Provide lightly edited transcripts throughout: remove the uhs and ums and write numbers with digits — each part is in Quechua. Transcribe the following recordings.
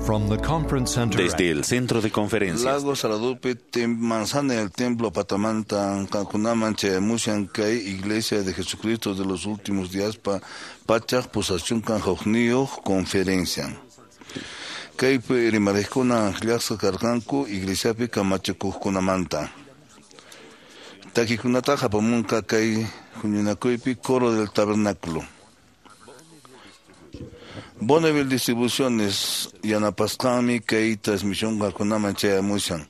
From the conference center Desde el centro de conferencias. Lago Saradupe, manzana del templo Patamanta, Kankunaman, Chayamushan, Kay, Iglesia de Jesucristo de los Últimos Días, pa, Pachak, Posachun, Kanjojnio, conferencia. Kaypi rimarejkuna llaqsa karqanku iglesiapi kamachikuqkunamanta. Takikunata apamunqa kay huñunakuypi coro del tabernáculo. Bonneville Distribuciones yanapasqanmi kay transmisión qankunaman chayamushan.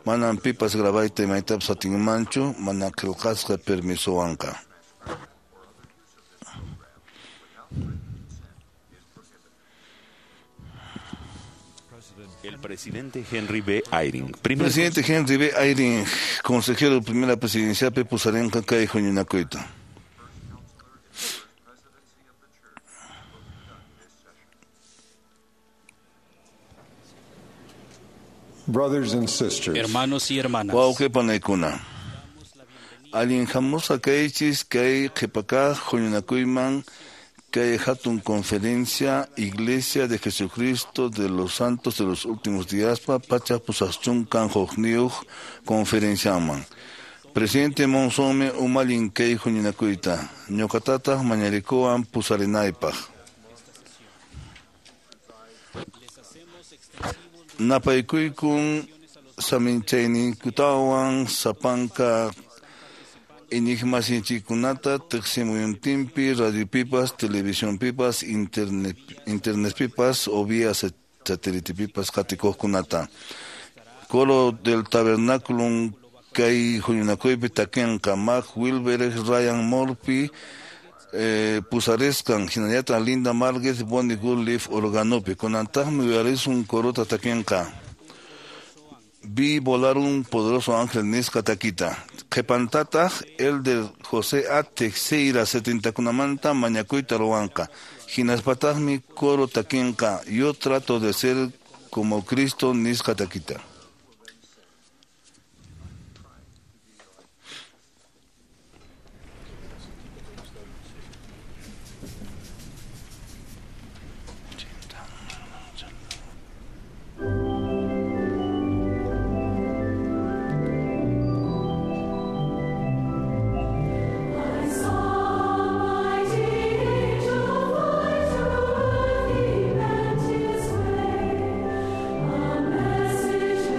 Manam pipas grabayta imaytapas atinmanchu mana qillqasqa permisowanqa. El presidente Henry B. Eyring. Primer Presidente Henry B. Eyring, consejero de primera presidencia pusarenqa kay huñunakuyta. Brothers and sisters, Hermanos y hermanas, Wawqi panaykuna. Allin hamusqa kaychis kay qhipakaq huñunakuyman kay hatun conferencia Iglesia de Jesucristo de los Santos de los Últimos Días pa pachak pusaqchunkan hukniyuq conferenciaman. Presidente Monsonmi umallin kay huñunakuyta. Ñuqatataq mañarikuwan pusarinaypaq. Napaykuykun saminchayninkutawan sapanka iñiqmasinchikkunata tiqsimuyuntinpi radiopipas, televisionpipas, internet, internetpipas o vía satélitepipas qatikuqkunata. Coro del tabernáculo kay huñunakuypi takinqa Mark Wilber, Ryan Murphy, pusarisqan hinallataq Linda Márquez, Bonnie Goodleaf organopi. Kunantaqmi uyarisun corota takinqa. Vi volar un poderoso ángel nisqa takita. Qhipantataq Elder José A. Teixeira 70kunamanta mañakuyta ruwanqa. Hinaspataqmi coro takinqa. Yo trato de ser como Cristo nisqa takita. I saw mighty angel fly to earth, he bent his way, a message.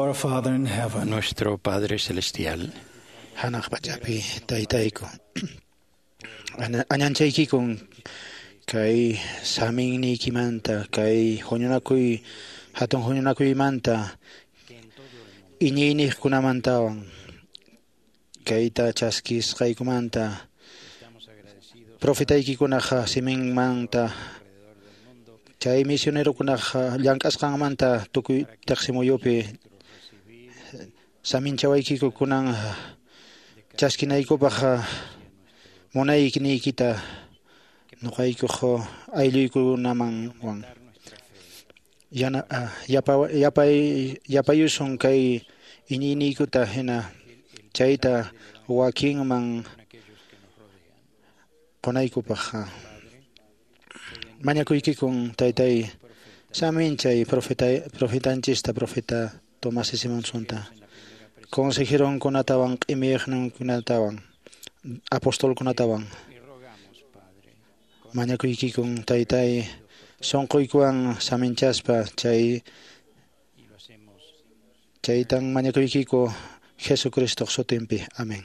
Our Father in heaven, Nuestro Padre Celestial, Hanaq pachapi taytayku. Añanchaykikun kay saminniykimanta, kay huñunakuy, hatun huñunakuymanta, iñiyniqkunamantawan, kayta chaskisqaykumanta, profetaykikunaq siminmanta, chay misionerokunaq llank'asqanmanta tukuy teqsimuyupi saminchawaykiku kunan chaskinaykupaq munayniykita nuqaykuq aylluykunamanwan yapayusun kay iñiyniykuta hina chayta wakinman qunaykupaq. Mañakuykikun taytay saminchay profetanchista profeta Tomás S. Monsonta, consejeronkunatawan q'imiqninkunatawan apostolkunatawan. Mañakuykikun taytay sunquykuwan saminchaspa chaytan mañakuykiku Jesucristo sutinpi. Amén.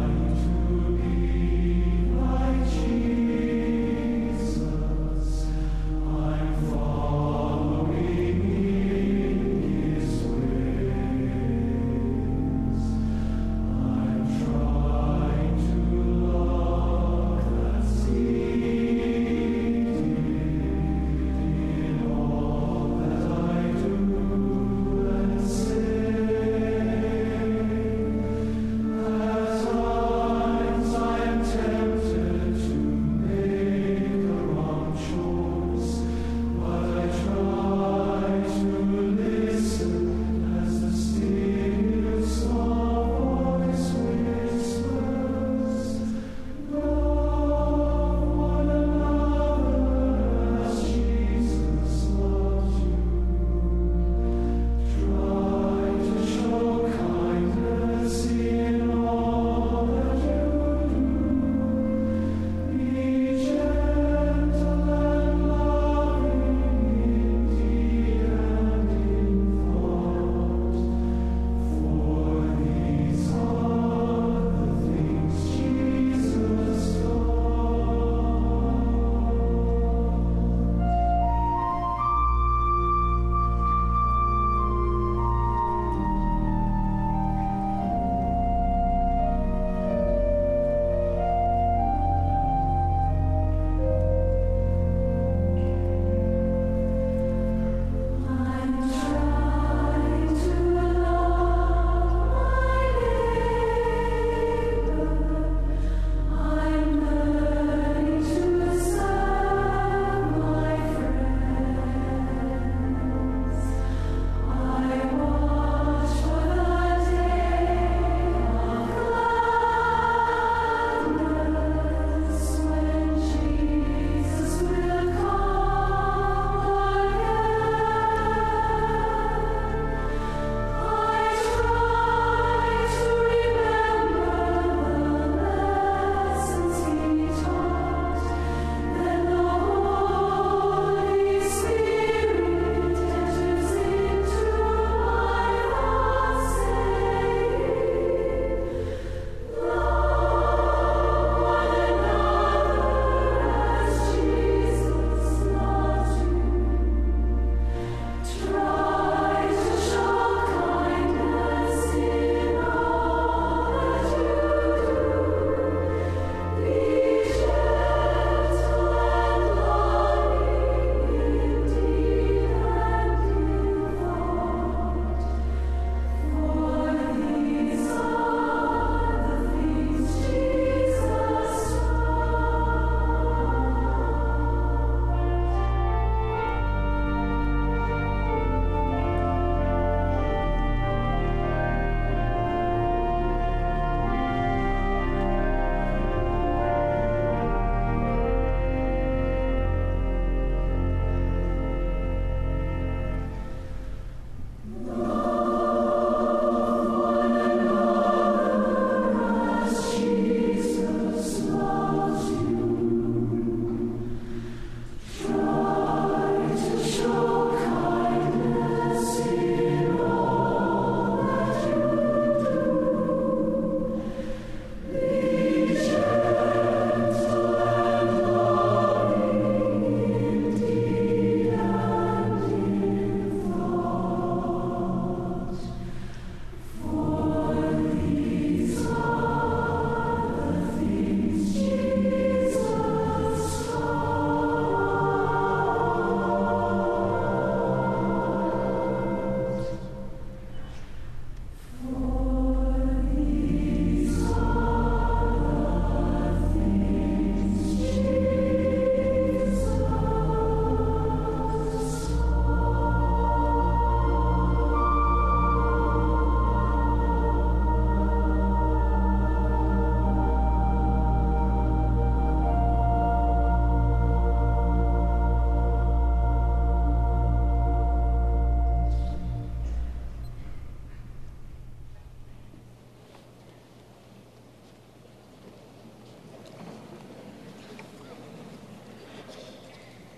Trying to be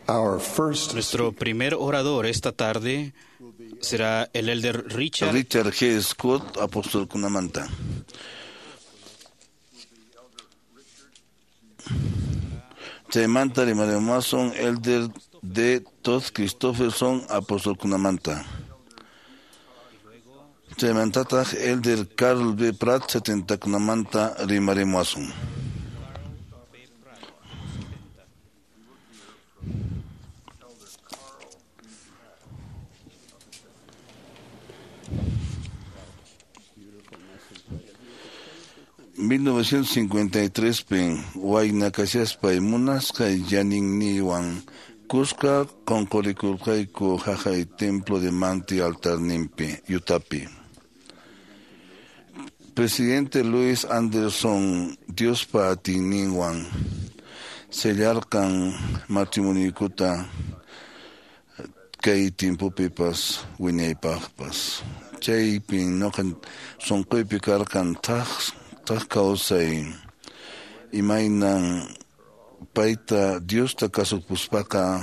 Our first Nuestro primer orador esta tarde será el elder Richard Richard G. Scott, apostolkunamanta. Chaymanta rimarimuwasun Elder D. Todd Christofferson, apostolkunamanta. Chaymantataq Elder Carl B. Pratt, setentakunamanta rimarimuwasun. ...1953 pin wayna kashaspay munasqay yaninniwan kuska qunqurikurqayku haqay templo de Manti altarninpi Utapi. Presidente Luis Anderson Diospa atiyninwan sellarqan matrimoniykuta kay timpupipas wiñaypaqpas. Chaypin ñuqa sunquypi karqan thak kawsay imaynan payta Diosta kasupuspaqa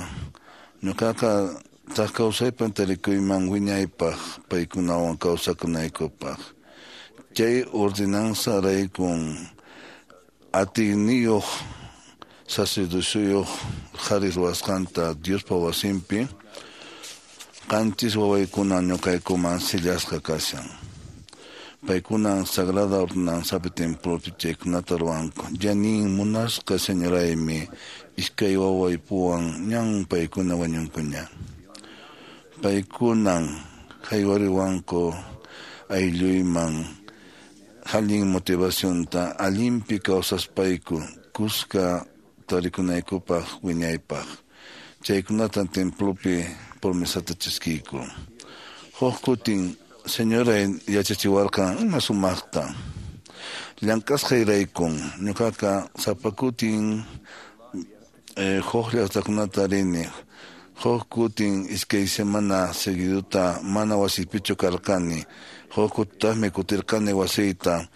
ñuqaqa thak kawsaypan tarikuyman wiñaypaq paykunawan kawsakunaykupaq. Chay ordenanza raykun atiyniyuq sacerdociyuq qhari ruwasqanta Diospa wasinpi qanchis wawaykuna ñuqaykuman sillasqa kashan. Paykunan sagrada ordenanzapi templopi chaykunata ruwanku. Yanin munasqa señoraymi iskay wawaypuwan ñan paykuna wañunkuña. Paykunan haywariwanku aylluyman allin motivacionta allinpi kawsaspayku kuska tarikunaykupaq wiñaypaq. Chaykunatan templopi promesata chaskiyku. Huk kutin señoray yachachiwarqan ima sumaqta. Llank'asqayraykun ñuqaqa sapa kutin huk llaqtakunata rini. Huk kutin iskay semana seguidota mana wasipichu karqani. Huk kutitaqmi kutirqani wasiyta.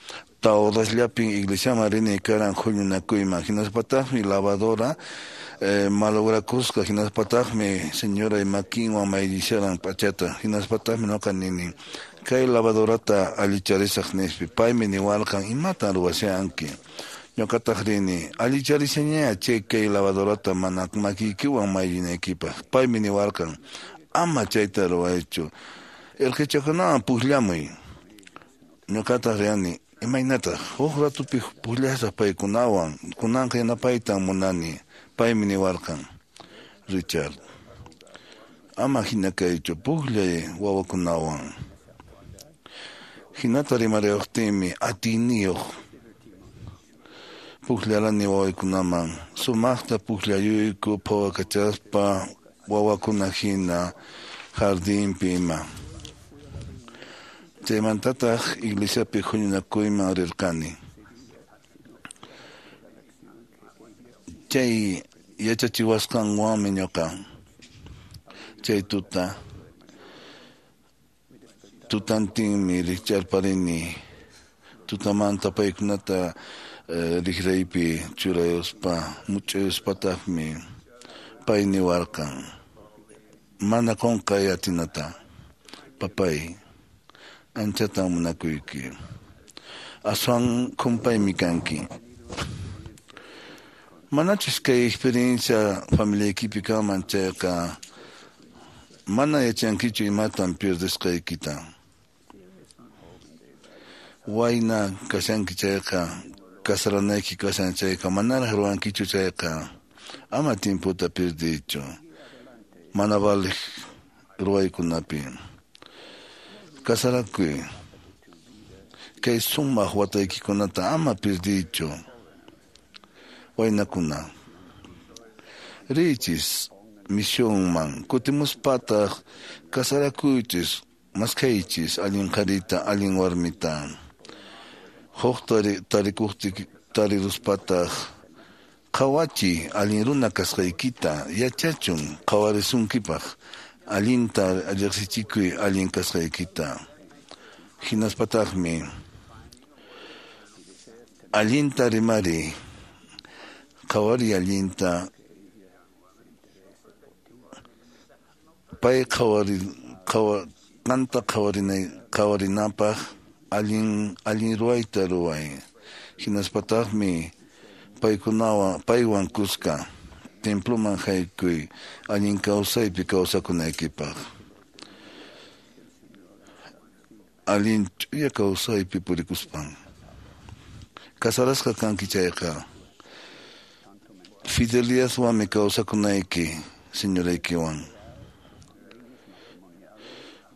Tawrasllapin iglesiaman rini karan huñunakuyman. Hinaspataqmi lavadora malograkusqa. Hinaspataqmi señoray makinwan mayllisharan p'achata. Hinaspataqmi ñuqa nini kay lavadorata allicharisaq nispi. Paymi niwarqan imatan ruwashanki. Ñuqataq rini allicharishaña chay kay lavadorata mana makiykiwan mayllinaykipaq. Paymi niwarqan ama chayta ruwaychu. Irqichakunawan pukllamuy. Ñuqataq riani imaynataq huk ratupi pukllasaq paykunawan kunanqa yanapaytan munani. Paymi niwarqan Richard ama hina kaychu pukllay wawakunawan. Hinata rimariwaqtinmi atiyniyuq pukllarani wawaykunaman. Sumaqta pukllayuyku phawakachaspa wawakuna hina jardinpi ima. Chaymantataq iglesiapi huñunakuyman rirqani. Chay yachachiwasqanwanmi ñuqa chay tuta tutantinmi rikcharparini tutamanta paykunata riqraypi churayuspa much'uyuspataqmi pay niwarqan mana qunqay atinata papay anchatan munakuyki aswan kumpaymi kanki. Manachus kay experiencia familiaykipi kanman chayqa mana yachankichu imatan pierdesqaykita. Wayna kashanki chayqa kasaranayki kashan chayqa manaraq ruwankichu chayqa ama tiemputa pierdiychu mana valiq ruwaykunapi. Kasarakuy kay sumaq wataykikunata ama pierdiychu. Waynakuna riychis misionman kutimuspataq kasarakuychis maskhaychis allin qharita allin warmita. Huk tariruspataq qhawachiy allin runa kasqaykita yachachun qhawarisunkipaq allinta riqsichikuy allin kasqaykita. Hinaspataqmi allinta rimariy qhawariy allinta Pay qanta qhawarinapaq allin ruwayta ruway. Hinaspataqmi paywan kuska temploman haykuy allin kawsaypi kawsakunaykipaq. Allin ch'uya kawsaypi purikuspan. Casarasqa kanki chayqa fidelidadwanmi kawsakunayki señoraykiwan.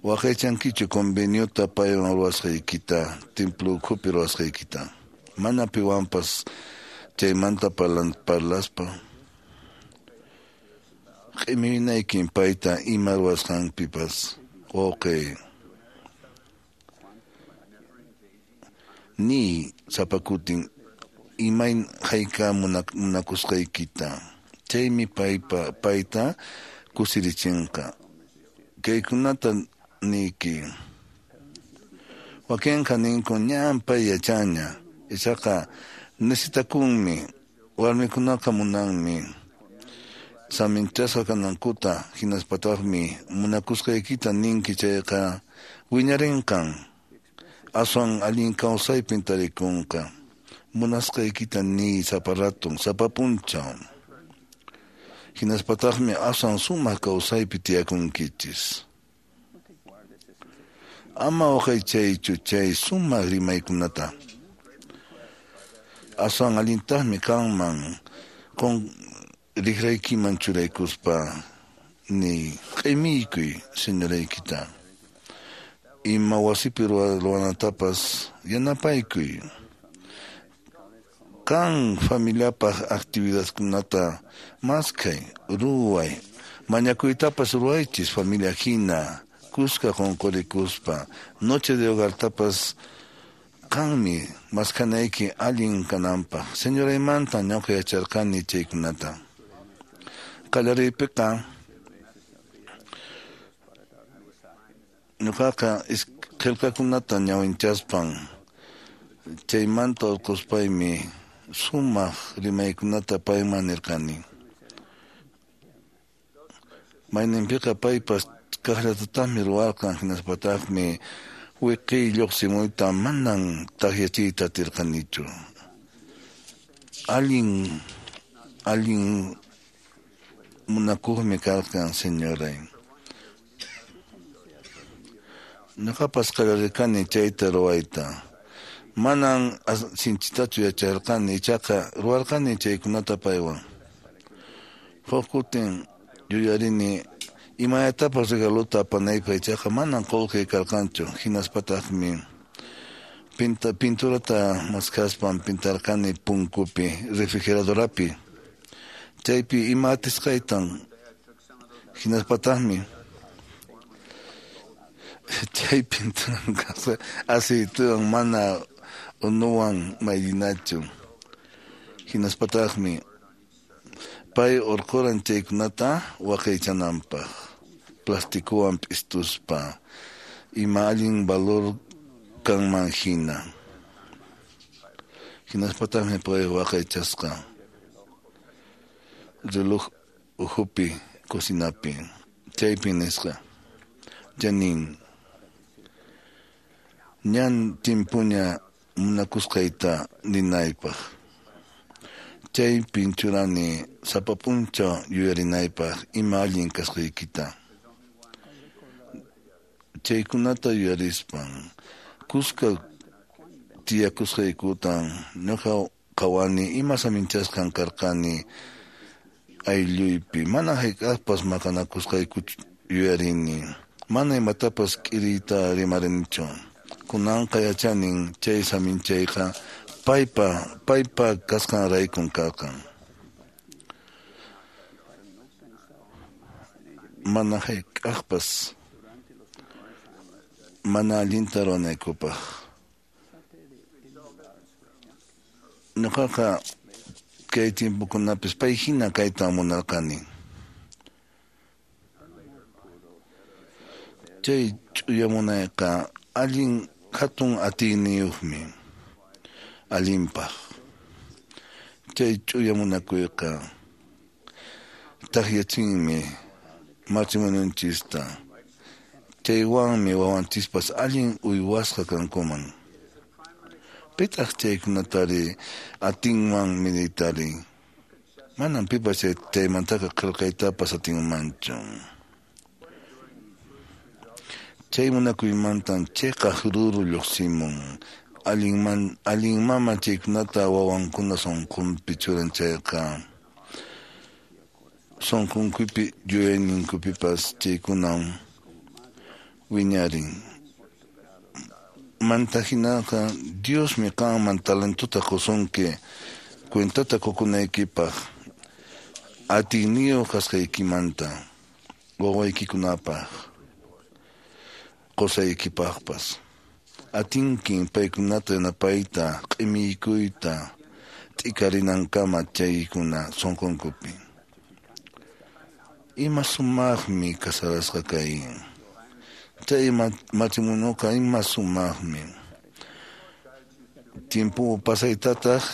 Waqaychankichu conveniota paywan ruwasqaykita, templo ukhupi ruwasqaykita. Mana piwanpas chaymanta parlaspa. Q'iminaykin payta ima ruwasqanpipas wawqi. Niy sapa kutin imayn hayka munakusqaykita. Chaymi payta kusirichinqa. Kaykunata niyki. Wakinqa ninku ñan pay yachanña. Ichaqa necesitakunmi, warmikunaqa munanmi saminchasqa kanankuta, hinaspataqmi munakusqaykita ninki chayqa wiñarinqan, aswan allin kawsaypin tarikunqa. Munasqaykita niy sapa ratun, sapa p'unchaw. Hinaspataqmi aswan sumaq kawsaypi tiyakunkichis. Ama waqaychaychu chay sumaq rimaykunata. Aswan allintaqmi kanman riqraykiman churaykuspa niy q'imiykuy señoraykita. Ima wasipi ruwanatapas yanapaykuy. Qan familiapaq actividadkunata maskhay, ruway, mañakuytapas ruwaychis familia hina, kuska qunqurikuspa, noche de hogartapas qanmi maskhanayki allin kananpaq. Señoraymanta ñuqa yacharqani chaykunata. Qallariypiqa ñuqaqa qillqakunata ñawinchaspan chaymanta urquspaymi sumaq rimaykunata payman nirqani. Mayninpiqa paypas kaqllatataqmi ruwarqan, hinaspataqmi wiqiy lluqsimuyta manan takyachiyta atirqanichu. Allin munakuqmi karqan señoray. Ñuqapas qallarirqani chayta ruwayta. Manan sinchitachu yacharqani, ichaqa ruwarqani chaykunata paywan. Huk kutin yuyarini imayatapas regalota apanaypaq, ichaqa manan qullqiy karqanchu, hinaspataqmi pinturata maskhaspan pintarqani punkupi, refrigeradorapi. Chaypi ima atisqaytan, hinaspataqmi chay pinturan aceitewan mana unuwan mayllinachu. Hinaspataqmi pay urquran chaykunata waqaychananpaq, plastikuwan p'istuspa, ima allin valor kanman hina. Hinaspataqmi pay waqaychasqa reloj ukhupi cocinapi, chaypi nisqa: Janin, ñan timpuña munakusqayta ninaypaq. Chaypin churani sapa p'unchaw yuyarinaypaq ima allin kasqaykita. Chaykunata yuyarispan kuska tiyakusqaykutan ñuqa qhawani ima saminchasqan karqani aylluypi. Mana hayk'aqpas maqanakusqaykuchu yuyarini. Mana imatapas k'iriyta rimarinichu. Kunanqa yachanin chay saminchayqa paypa kasqanraykun karqan. Mana hayk'aqpas mana allinta ruwanaykupaq. Ñuqaqa kay tiempokunapis pay hina kayta munarqani. Chay ch'uya munayqa allin hatun atiyniyuqmi allinpaq. Chay ch'uya munakuyqa takyachinmi matrimonionchista. Chaywanmi wawanchispas allin uywasqa kankuman. Pitaq chaykunatari atinman midiytari. Manam pipas chaymantaqa qillqaytapas atinmanchu. Chay munakuymantan chiqaq ruru lluqsimun. Allin mama chaykunata wawankuna sunqunpi churan chayqa sunqunkupi yuyayninkupipas chaykunam wiñarin. Manta hinaqa Diosmi qanman talentota qusunki cuentata qukunaykipaq atiyniyuq kasqaykimanta wawaykikunapaq qusaykipaqpas. Atinkin paykunata yanapayta q'imiykuyta t'ikarinankama chaykuna sunqunkupi. Ima sumaqmi casarasqa kay. Chay matrimonioqa ima sumaqmi. Tiempo pasaytataq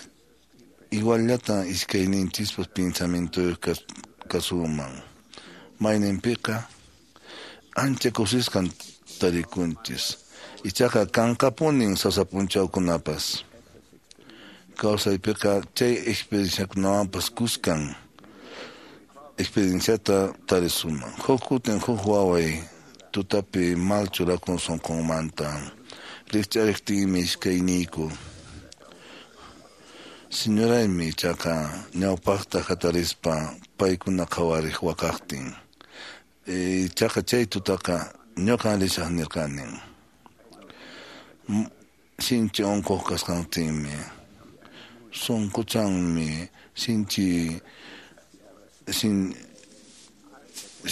iguallata iskayninchispas pensamientoyuq kasuman. Mayninpiqa ancha kusisqan tarikunchis. Ichaqa kanqapunin sasa p'unchawkunapas. Kawsaypiqa chay experienciakunawanpas kuskan experienciata tarisuman. Huk kutin huk waway tutapi mal churakun sunqunmanta. Rikch'ariqtiymi iskayniyku. Señoraymi ichaqa ñawpaqta hatarispa paykuna qhawariq waqaqtin. Ichaqa chay tutaqa ñuqan risaq nirqani. Sinchi unquq kasqantinmi sunquchanmi sinchi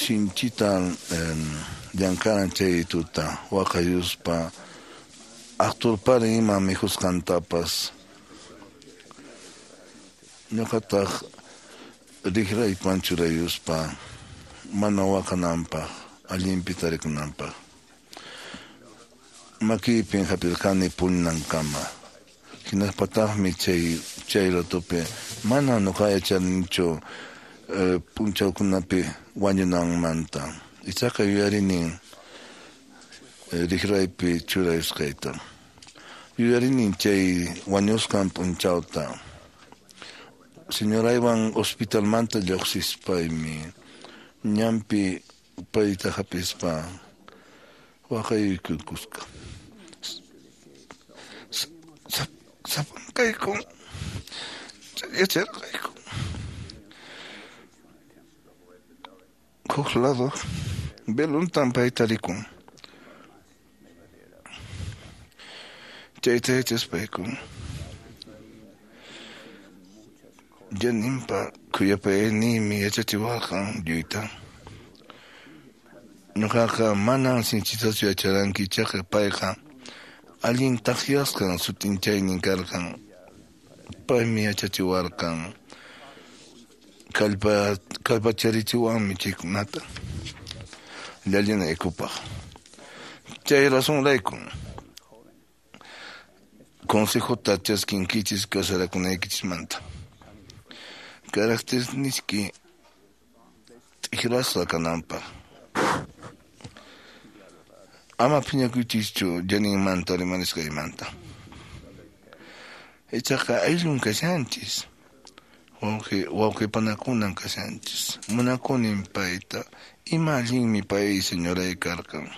sinchita llamk'aran chay tuta waqayuspa aqturparin ima mikhusqantapas. Ñuqataq riqraypan churayuspa mana waqananpaq allinpi tarikunanpaq. Makiypin hap'irqani puñunankama. Hinaspataqmi chay ratupi mana ñuqa yacharinichu p'unchawkunapi wañunanmanta. Ichaqa yuyarinin riqraypi churayusqayta. Yuyarinin chay wañusqan p'unchawta. Señoraywan hospitalmanta lluqsispaymi ñanpi payta hap'ispa waqayuykusqa. Sapankayku yacharqayku. Huk lado velontan payta rikun. Chayta yachaspayku Janinpa khuyapayayniymi yachachiwarqan lluyta. Ñuqaqa manam sinchitachu yacharanki ichaqa payqa allin takyasqan sut'inchaynin karqan. Paymi yachachiwarqan kallpacharichiwanmi chaykunata llallinaykupaq. Chay razonrayku consejota chaskinkichis casarakunaykichismanta. Caracterniski t'ikrasqa kananpaq. Ama phiñakuychischu Janinmanta rimarisqaymanta. Ichaqa ayllun kashanchis. Wawqipanakunan kashanchis. Munakunin payta. Ima allinmi pay señoray karqan.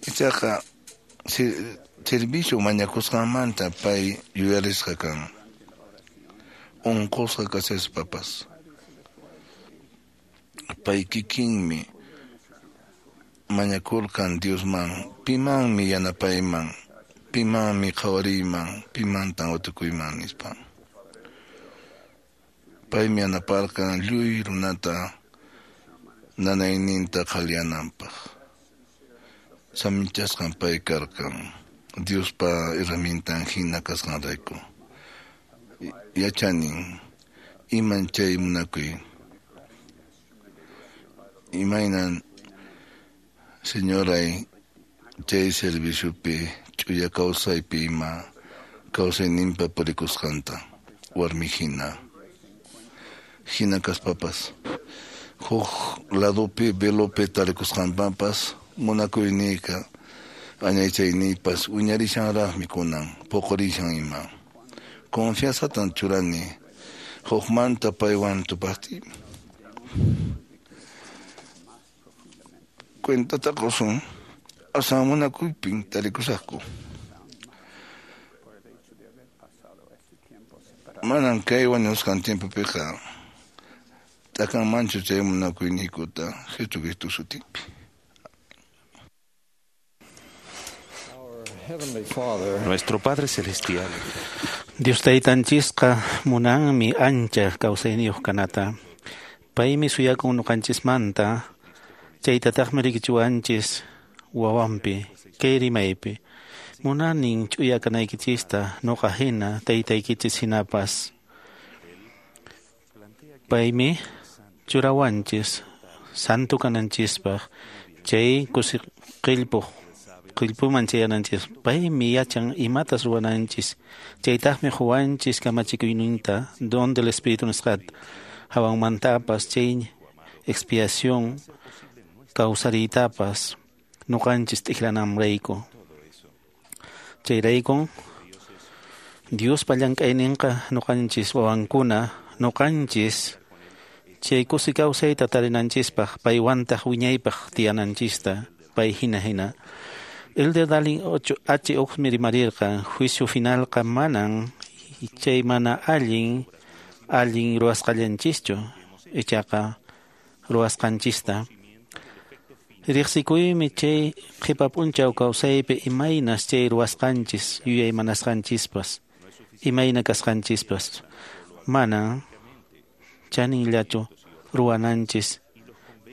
Ichaqa servicio mañakusqanmanta pay yuyarisqa kan. Unqusqa kashaspapas. Pay kikinmi mañakurqan Diosman, pimanmi yanapayman, pimanmi qhawariyman, pimantan watukuyman nispa. Paymi yanaparqan lluy runata nanayninta qhaliyananpaq. Saminchasqan pay karqan Diospa herramientan hina kasqanrayku. Yachanin iman chay munakuy. Imaynan señoray chay serviciopi ch'uya kawsaypi ima kawsayninpa purikusqanta warmi hina. Hina kaspapas Huk ladopi velopi tarikusqanpapas munakuyniyqa añaychayniypas wiñarishanraqmi kunan puqurishan ima. Confianzatan churani hukmanta paywan tupaqtiy. Cuentata qusun aswan munakuypin tarikusaqku. Manan kay wañusqan tiempopiqa t'akanmanchu chay munakuyniykuta Jesucristo sutipi. Nuestro Padre Celestial. Dios taytanchisqa munanmi ancha kawsayniyuq kanata. Paymi suyakun nuqanchismanta, chaytataqmi rikichiwanchis wawanpi, kay rimaypi. Munanin ch'uya kanaykichista nuqa hina taytaykichis hinapas. Paymi churawanchis santo kananchispaq, chay kusi qillpuq qillpuman chayananchis. Paymi yachan imatas ruwananchis, chaytaqmi quwanchis kamachikuyninta don del Espíritu nisqata, hawanmantapas chay expiación kawsariytapas nuqanchis t'ikrananrayku. Chayraykun Diospa llank'ayninqa nuqanchis wawankuna, nuqanchis chay kusi kawsayta tarinanchispaq, paywantaq wiñaypaq tiyananchista, pay hina hina. Elder Dallin H. Oaks rimarirqa, juicio finalqa manan chay mana allin allin ruwasqallanchischu, ichaqa ruwasqanchista. Riqsikuymi chay qhipa p'unchaw kawsaypi imaynas chay ruwasqanchis, yuyaymanasqanchispas, imayna kasqanchispas. Manan chaninllachu ruwananchis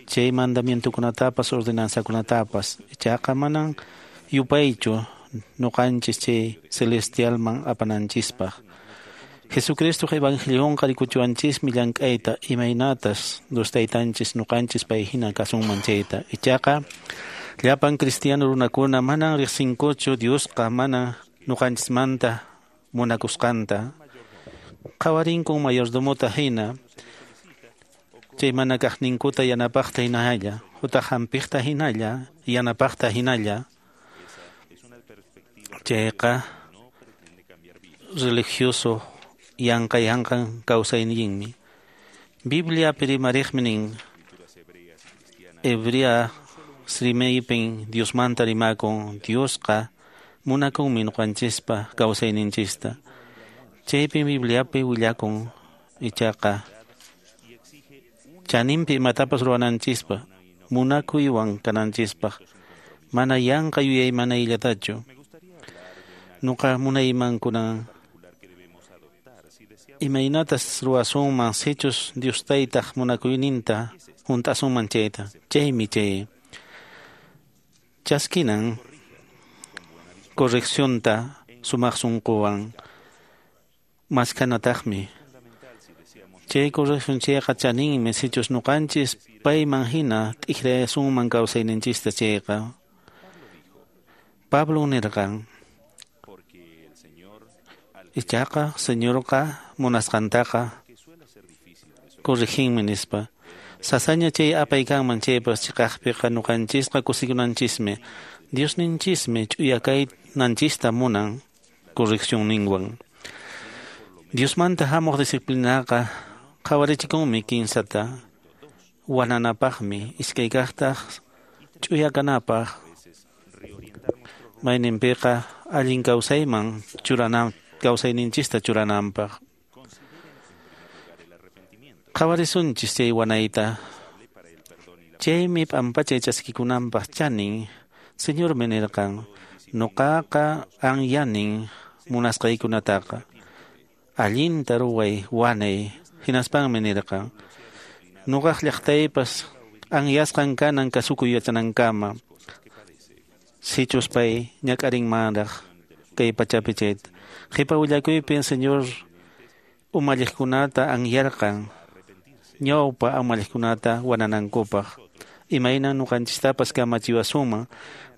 chay mandamientokunatapas ordenanzakunatapas, ichaqa manan yupaychu nuqanchis chay celestialman apananchispaq. Jesucristo evangelionqa rikuchiwanchismi llank'ayta imaynatas Dios taytanchis nuqanchis pay hina kasunman chayta. Ichaqa llapan cristiano runakuna manan riqsinkuchu Diosqa mana nuqanchismanta munakusqanta. Qhawarinkun mayordomota hina, chay mana kaqninkuta yanapaqta hinalla, utaq hampiqta hinalla, yanapaqta hinalla. Chayqa religioso yanqa yanqan kawsayninmi. Bibliapi rimariqmi nin, Hebrea rimaypin Diosmanta rimakun, Diosqa munakunmi nuqanchispa kawsayninchista. Chaypin Bibliapi willakun ichaqa chaninpi imatapas ruwananchispa, munakuywan kananchispaq, mana yanqa yuyaymanayllatachu. Nuqa munayman kunan imaynatas ruwasunman sichus Dios taytaq munakuyninta hunt'asunman chayta. Chaymi chay chaskinan correccionta sumaq sunquwan maskanataqmi. Chay corrección chayqa chaninmi sichus nuqanchis payman hina t'ikrayasunman kawsayninchista chayqa. Pablo nirqan, ichaqa Señorqa munasqantaqa corriginmi nispa. Sasaña chay apay kanman chaypas chiqaqpiqa nuqanchisqa kusikunanchismi. Diosninchismi ch'uya kaynanchista munan correccionninwan. Diosmanta hamuq disciplinaqa qhawarichikunmi kinsata wananapaqmi, iskay kaqtaq ch'uya kanapaq, mayninpiqa allin kawsayman churana kawsayninchista churananpaq. Qhawarisunchis chay wanayta. Chaymi p'ampachay chaskikunanpaq chanin. Señormi nirqan, nuqaqa anyanin munasqaykunataqa. Allinta ruway wanay. Hinaspanmi nirqan, nuqaq llaqtaypas anyasqan kanan kasukuy yachanankama. Sichus pay ñak'arinmanraq kay pachapi chayta. Qhipa willakuypin Señor umalliqkunata anyarqan ñawpa umalliqkunata wananankupaq. Imaynan nuqanchistapas kamachiwasunman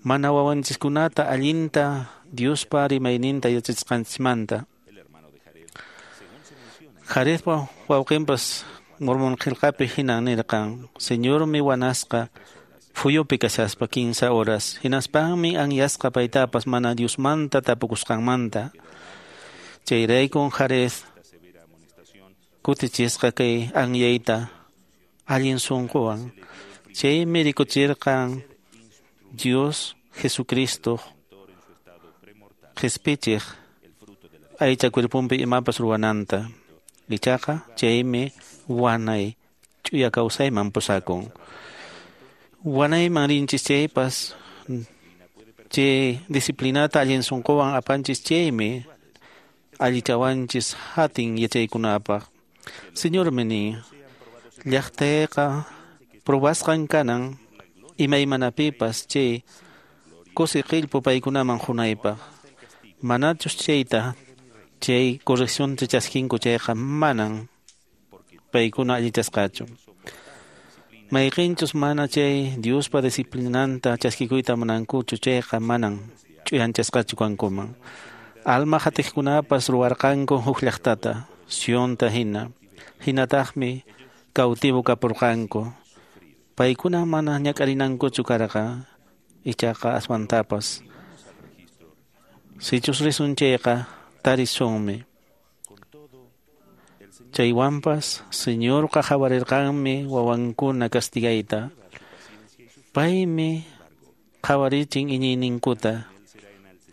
mana wawanchiskunata allinta Diospa rimayninta yachachisqanchismanta. Jaredpa wawqinpas Mormon qillqapi hinan nirqan, Señormi wanasqa phuyupi kashaspa 15 horas, hinaspanmi anyasqa paytapas mana Diosmanta tapukusqanmanta. Chayraykun Jared kutichisqa kay anyayta allin sunquwan. Chaymi rikuchirqan Dios Jesucristo qhispichiq aycha cuerponpi imapas ruwananta. Ichaqa chaymi wanay ch'uya kawsayman pusakun. Wanayman rinchis chaypas chay disciplinata allin sunquwan apanchis chaymi allichawanchis hatin yachaykunapaq. Señormi nin, llaqtayqa probasqan kanan imaymanapipas chay kusi qillpu paykunaman qunaypaq. Manachus chayta chay correccionta chaskinku chayqa manan paykuna allichasqachu. Mayqinchus mana chay Diospa disciplinanta chaskikuyta munankuchu chayqa manan ch'uyanchasqachu kankuman. Alma hatiqkunapas ruwarqanku huk llaqtata, Sionta hina. Hinataqmi cautivo kapurqanku. Paykuna mana ñak'arinankuchu karqa, ichaqa aswantapas. Sichus risun chayqa tarisunmi. Chaywanpas Señorqa qhawarirqanmi wawankuna castigayta. Paymi qhawarichin iñiyninkuta.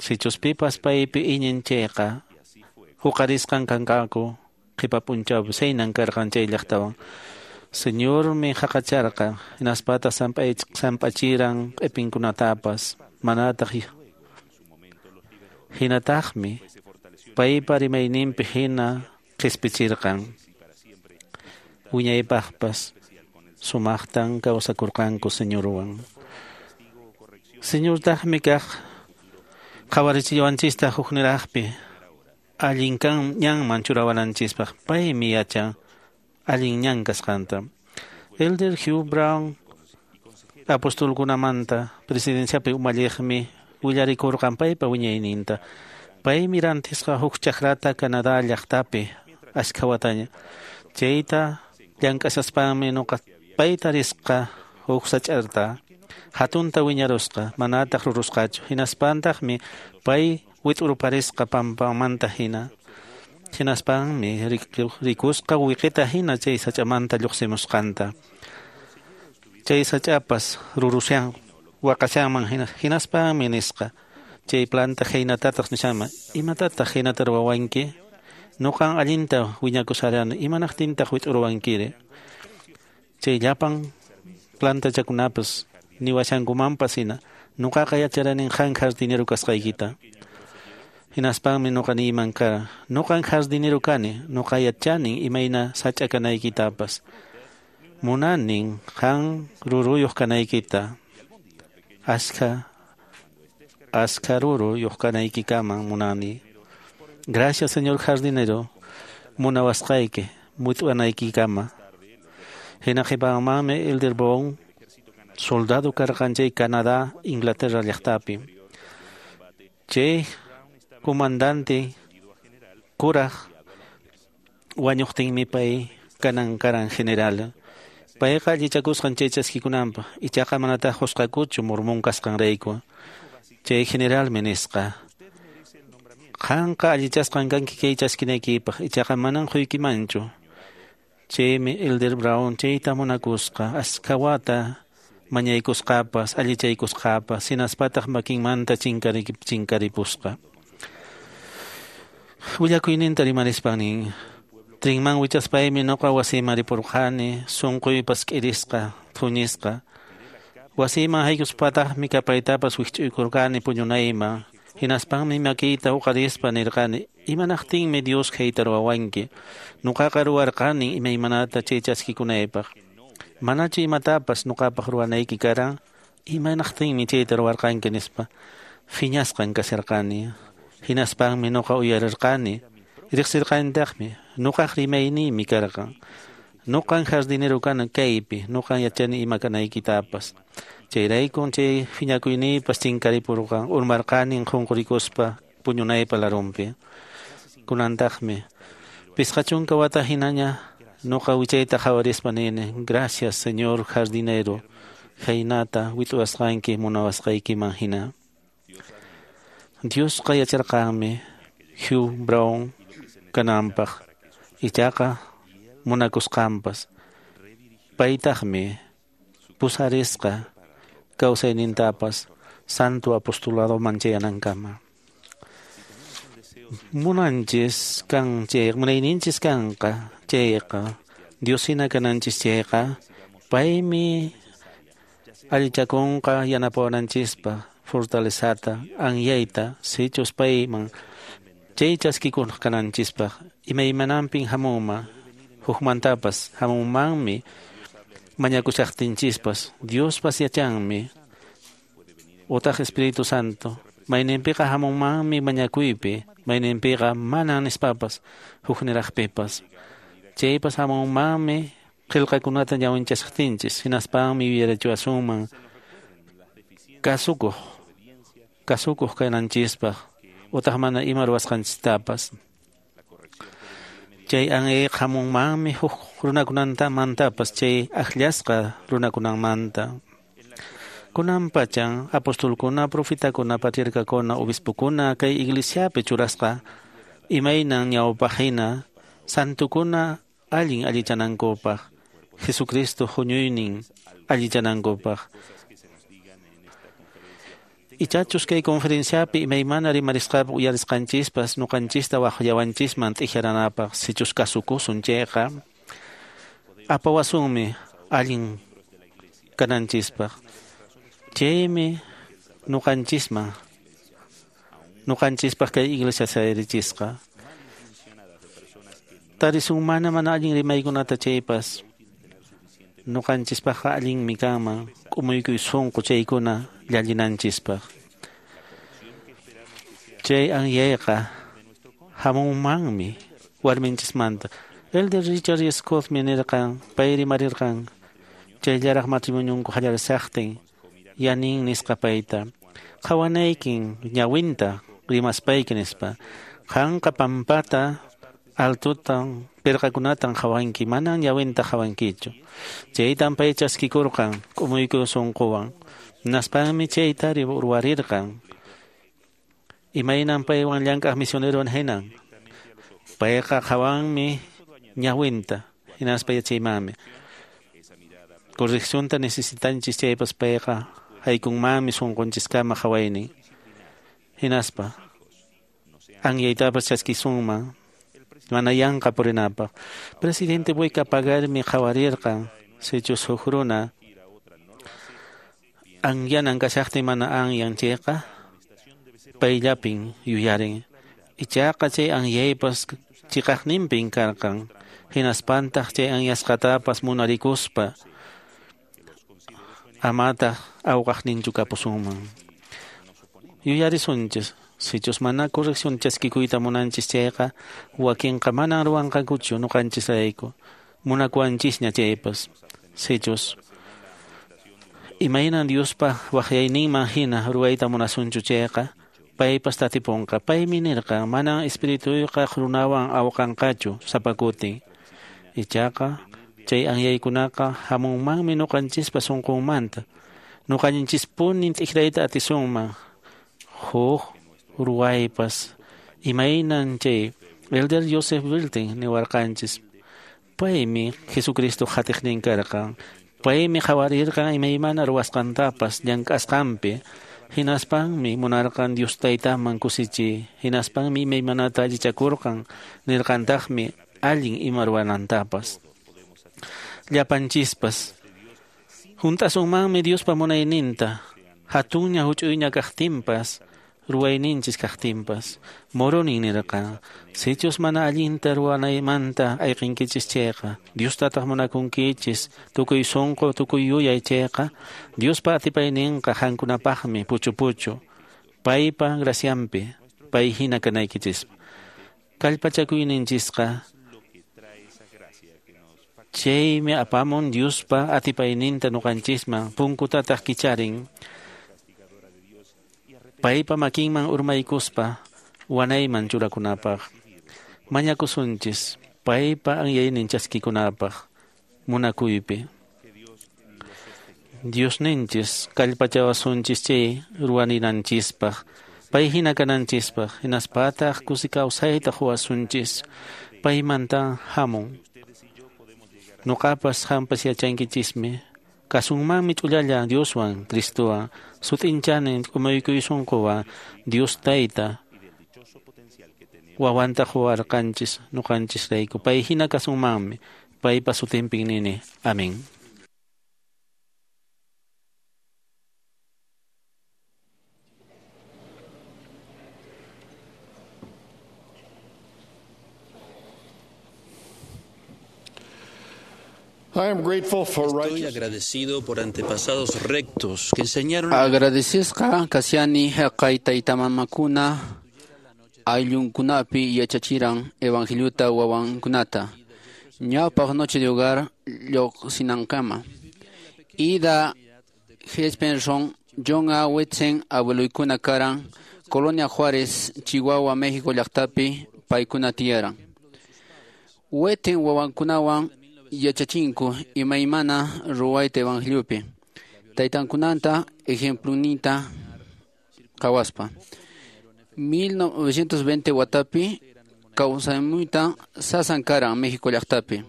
Sichus pipas paypi iñin chayqa huqarisqan kanqaku qhipa p'unchawpi saynan karqan chay llaqtawan. Señormi haqacharqa hinaspataq samp'achiran q'ipinkunatapas manataq hinataqmi paypa rimayninpi hina qhispichirqan. Wiñaypaqpas sumaqtan kawsakurqanku Señorwan. Señortaqmi kaq qhawarichiwanchista hukniraqpi allin kan ñanman churawananchispaq. Paymi yachan allin ñan kasqanta. Elder Hugh Brown apostolkunamanta presidenciapi umalliqmi willarikurqan paypa wiñayninta. Paymi rantisqa huk chakrata Canadá llaqtapi ashkha wataña. Chayta llank'ashaspanmi nuqa payta risqa huk sach'arta hatunta wiñarusqa manataq rurusqachu. Hinaspantaqmi pay wit'urparisqa pampamanta hina. Hinaspanmi rikusqa wiqita hina chay sach'amanta lluqsimusqanta. Chay sach'apas rurushan waqashanman hina. Hinaspanmi nisqa chay planta hinatataq nishanman, imatataq hinata ruwawanki? Nuqan allinta wiñakusharani, imanaqtintaq wit'uruwankiri? Chay llapan plantachakunapas niwashankumanpas hina, nuqaqa yacharanin qan jardinero kasqaykita. Hinaspanmi nuqa niyman kara, nuqan jardinero kani, nuqa yachanin imayna sach'a kanaykitapas. Munanin qan ruruyuq kanaykita. Ashkha ruruyuq kanaykikaman munani. Gracias, señor jardinero, munawasqayki mut'anaykikama. Hina qhipamanmi Elder Brown soldado karqan chay Canadá, Inglaterra llaqtapi. Chay comandante kuraq wañuqtinmi pay kanan karan general. Payqa allichakusqan chay chaskikunanpaq, ichaqa manataq qusqakuchu mormón kasqanrayku. Chay generalmi nisqa, qanqa allichasqan kanki kay chaskinaykipaq, ichaqa manan quykimanchu. Chaymi Elder Brown chayta munakusqa, ashkha wata mañaykusqapas, allichaykusqapas, hinaspataq makinmanta chinkaripusqa. Willakuyninta rimarispan nin, trinman wichaspaymi nuqa wasiyman ripurqani, sunquypas k'irisqa, thuñisqa. Wasiyman haykuspataqmi kapaytapas wikch'uykurqani puñunayman. Hinaspanmi makiyta huqarispa nirqani, imanaqtinmi Dios hayta ruwawanki? Nuqaqa ruwarqani imaymanata chay chaskikunaypaq. Manachu imatapas nuqapaq ruwanayki karan? Imanaqtinmi chayta ruwarqanki nispa. Phiñasqan kasharqani. Hinaspanmi nuqa uyarirqani. Riqsirqanitaqmi, nuqaq rimayniymi karqan. Nuqan jardinero kana kaypi, nuqan yachani ima kanaykitapas. Chayraykun chay phiñakuyniypas chinkaripurqan, urmarqanin qunqurikuspa puñunaypa larunpi. Kunantaqmi 50 wata hinaña Noqa wichayta qhawarispa nini, gracias Señor jardinero, khaynata wit'uwasqanki munawasqaykiman hina. Diosqa yacharqanmi Hugh Brown kananpaq, ichaqa munakusqanpas. Paytaqmi pusarisqa kawsaynintapas santo apostoladoman chayanankama. Munanchis kan chay, munayninchis kanqa chayqa, Dios hina kananchis chayqa, paymi allichakunqa yanapawananchispaq fortalezata, anyayta, sichus payman chay chaskikuq kananchispaq, imaymananpin hamunman, hukmantapas hamunmanmi mañakushaqtinchispas, Diospas yachanmi, utaq Espíritu Santo, mayninpiqa hamunmanmi mañakuypi, mayninpiqa manan nispapas, hukniraqpipas. Chaypas hamunmanmi qillqakunata ñawinchashaqtinchis, hinaspanmi yuyarichiwasunman kasukuq kananchispaq, utaq mana ima ruwasqanchistapas. Chay anyayqa hamunmanmi huk runakunamantapas, chay akllasqa runakunamanta. Kunan pachan apostolkuna, profetakuna, patriarcakuna, obispokuna kay iglesiapi churasqa imaynan ñawpaqhina santukuna allin allichanankupaq, Jesucristo huñuynin allichanankupaq. Ichachus kay conferenciapi imaymana rimarisqapi uyarisqanchispas ñuqanchista waqllawanchisman t'ijaranapaq, sichus kasukusun chayqa apawasunmi allin kananchispaq. Chaymi ñuqanchisman ñuqanchispaq kay iglesia sayarichisqa. Tarisun mana allin rimaykunata chaypas ñuqanchispaqqa allinmi kanman k'umuykuy sunqu chaykuna llallinanchispaq. Chay anyayqa hamunmanmi warminchismanta. Elder Richard Scottmi nirqan, pay rimarirqan chayllaraq matrimonionku qallarishaqtin yanin nisqa payta. Qhawanaykin ñawinta rimaspayki nispa. Qanqa pampata altutan pirqakunatan qhawanki, manan ñawinta qhawankichu. Chaytan pay chaskikurqan k'umuykuy sunquwan. Naspanmi chayta ruwarirqan. Imaynan paywan llank'aq misionerowan hinan. Payqa qhawanmi ñawinta, hinaspa yachaymanmi. Correccionta necesitanchis chaypas payqa haykunmanmi sunqunchiskama qhawaynin. Hinaspa anyaytapas chaskisunman mana yanqa purinapaq. Presidente Boyka Pagarmi qhawarirqan sichus huk runa anyanan kashaqtin mana anyan chayqa payllapin yuyarin. Ichaqa chay anyaypas chiqaqninpin karqan. Hinaspantaq chay anyasqatapas munarikuspa amataq awqaqninchu kapusunman. Yuyarisunchis, sichus mana corrección chaskikuyta munanchis chayqa wakinqa manan ruwanqankuchu ñuqanchisrayku, munakuwanchisña chaypas. Sichus imaynan Diospa waqyayninman hina ruwayta munasunchu chayqa paypas tatipunqa. Paymi nirqan manan espirituyqa runawan awqanqachu sapa kutin. Ichaqa chay anyaykunaqa hamunmanmi ñuqanchispa sunqunmanta. Ñuqanchispunin t'ikrayta atisunman huk ruwaypas. Imaynan chay Elder Joseph Wilton niwarqanchis. Paymi Jesucristo qhatiqnin karqan. Paymi qhawarirqan imaymana ruwasqantapas llank'asqanpi. Hinaspanmi munarqan Dios taytaman kusichiy. Hinaspanmi imaymanata allichakurqan. Nirqantaqmi allin ima ruwanantapas. Llapanchispas hunt'asunmanmi Diospa munayninta, hatunña huch'uyña kaqtinpas, ruwayninchis kaqtinpas. Moronin nirqan, sichus mana allinta ruwanaymanta ayqinkichis chayqa, Diostataq munakunkichis tukuy sunqu tukuy yuyay chayqa, Diospa atipayninqa qankunapaqmi puchu puchu, paypa gracianpi, pay hina kanaykichis. Kallpachakuyninchisqa chaymi apamun Diospa atipayninta ñuqanchisman, punkutataq kicharin. Paypa makinman urmaykuspa wanayman churakunapaq. Mañakusunchis. Paypa anyaynin chaskikunapaq munakuypi. Diosninchis kallpachawasunchis chay ruwaninanchispaq, pay hina kananchispaq, hinaspataq kusi kawsayta quwasunchis, paymanta hamun. Nuqapas qampas yachankichismi, kasunmanmi ch'ullalla Dioswan, Cristowan, sut'inchanin k'umuykuy sunquwan, Dios Tayta wawanta quwarqanchis nuqanchisrayku, pay hina kasunmanmi, paypa sutinpin nini. Amén. Estoy agradecido por antepasados rectos que enseñaron Agradecesqa kashani haqay taytamamakuna ayllunkunapi yachachiran evangeliuta wawankunata ñawpaq noche de hogar lluqsinankama. Ida Gespenson John A. Wetsen abueloykuna karan Colonia Juárez, Chihuahua, México llaqtapi paykuna tiyaran. Weten wawankunawan yachachinku imaymana ruwayta evangeliopi. Taytankunanta ejemplunita qhawaspa. 1920 watapi kawsaymuyta sasan karan México llaqtapi.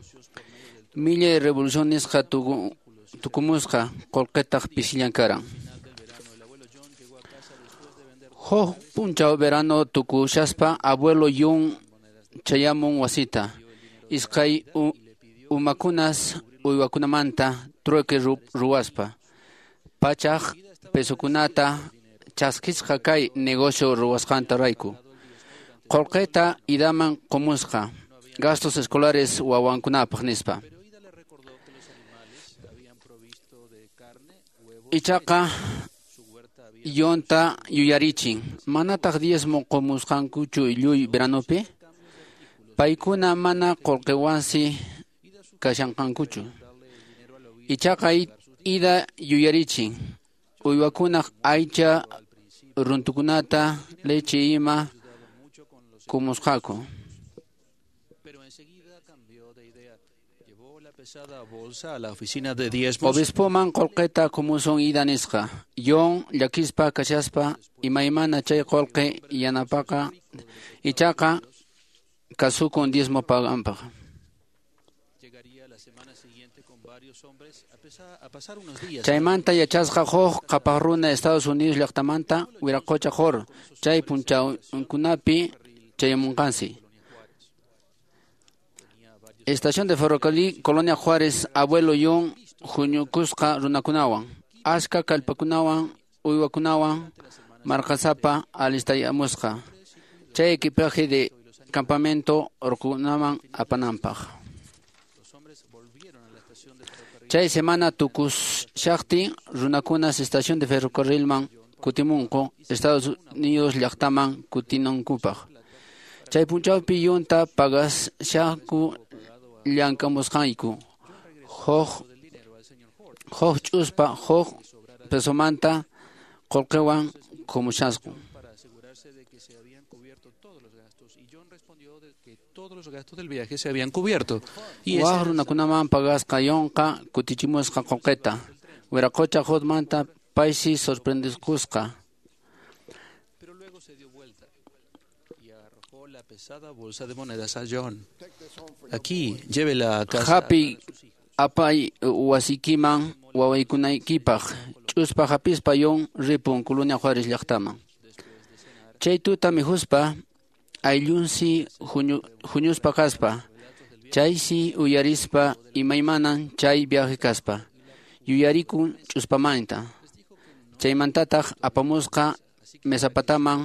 Millay revolución nisqa tukumusqa qullqitaq pisillan karan. Huk p'unchaw verano tukushaspa abuelo Yun chayamun wasita. Iskay umakunas uywakunamanta trueque ruwaspa. Pachaq pesokunata chaskisqa kay negocio ruwasqanta rayku. Qullqita idaman qumusqa gastos escolares wawankunapaq nispa. Ichaqa yonta yuyarichin manataq diezmo qumusqankuchu lluy veranopi. Paykuna mana qullqiwansi kashanqankuchu. Ichaqa ida yuyarichin uywakunaq aycha runtukunata leche ima kumusqaku. Obispoman qullqita kumusun ida nisqa. Yon llakispa kashaspa imaymana chay qullqi yanapaqa ichaqa kasukun diezmo paganpaq. Chaymanta yachasqa huk qhapaq runa Estados Unidos llaqtamanta Wiraqocha Qur chay p'unchawkunapi chayamunqansi. Estación de ferrocarril Colonia Juárez abuelo Yun huñukusqa runakunawan achka kallpakunawan uywakunawan marqasapa alistayamusqa chay equipaje de campamento urqukunaman apananpaq. Chay semana tukushaqtin runakunas estación de ferrocarrilman kutimunku Estados Unidos llaqtaman kutinankupaq. Chay p'unchawpi yunta pagashanku llamk'amusqayku huk ch'uspa huk pesomanta qullqiwan kumushasqu. Wak runakunaman pagasqa yunqa kutichimusqa qullqita. Wiraqocha Hotmanta paysi sorprendiskusqa. Hapi apay wasikiman wawaykunaykipaq ch'uspa hapispa yun ripun Colonia Juárez llaqtaman. Chay tuta mikhuspa ayllunsi huñuspa kaspa chaysi uyarispa imaymanan chay viaje kaspa yuyarikun ch'uspamanta. Chaymantataq apamusqa mesapataman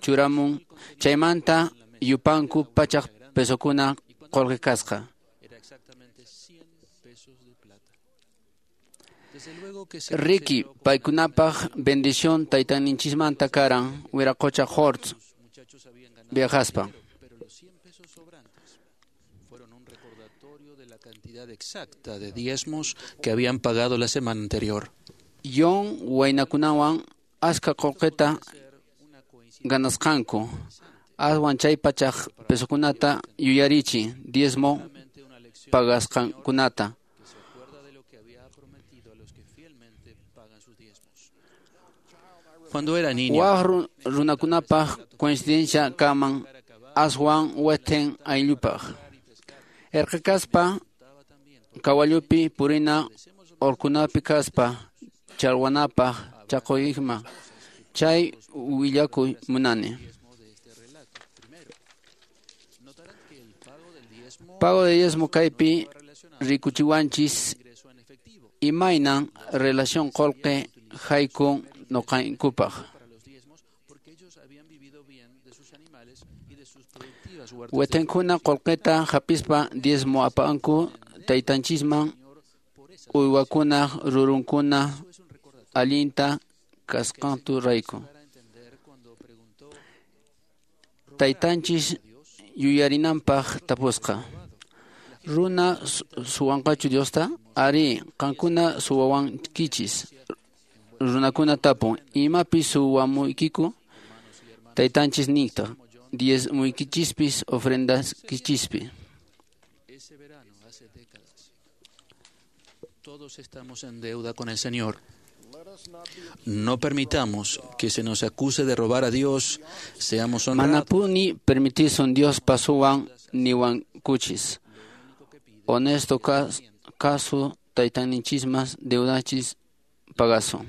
churamun chaymanta yupanku pachaq pesokuna qullqi kasqa. Riki paykunapaq bendición taytanichismanta karan Wiraqocha Hortz viajaspa. Exacta de diezmos que habían pagado la semana anterior. Yon waynakunawan achka qullqita ganasqanku. Aswan chay pachaq pesokunata yuyarichin diezmo pagasqankunata. Cuando era niño, Waq runakunapaq coincidencia kaman aswan weten ayllupaq. Erqe kaspa kawallupi purina orkunapi kaspa chalwanapaq chaquyma chay willakuy munani. Pago de diezmo kaypi rikuchiwanchis imaynan relación qolqe haykun noqaykupaq. Wetenkuna qolqeta hapispa diezmo apanku taytanchisman uywakuna rurunkuna allinta kasqantu rayku. Taytanchis yuyarinanpaq tapusqa. Runa suwanqachu Diosta? Ari, qankuna suwawankichis. Runakuna tapun, imapi suwamuykiku? Taytanchis niyta, diezmuykichispis ofrendaskichispi. Ese verano, hace décadas, todos estamos en deuda con el Señor. No permitamos que se nos acuse de robar a Dios. Seamos honrados. Manapuni permitisun Dios pasuwan niwankuchis. Honesto caso taytanichismas deudachis pagasun.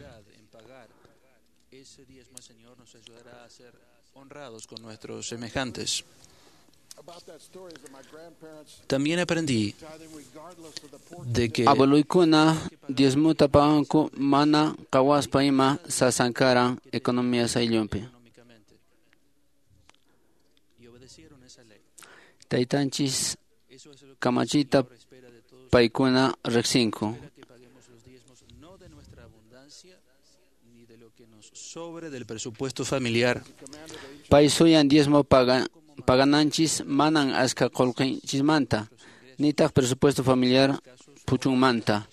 Ese diezmo al Señor nos ayudará a ser honrados con nuestros semejantes. También aprendí de que Abueloykuna diezmuta paganku mana qawaspa ima sasankaran economía ayllunpi. Taytanchis kamachita paykuna riqsinku. sobre del presupuesto familiar. Pay suyan diezmo pagananchis manan aska qolqinchismanta, nitaq presupuesto familiar puchunmanta.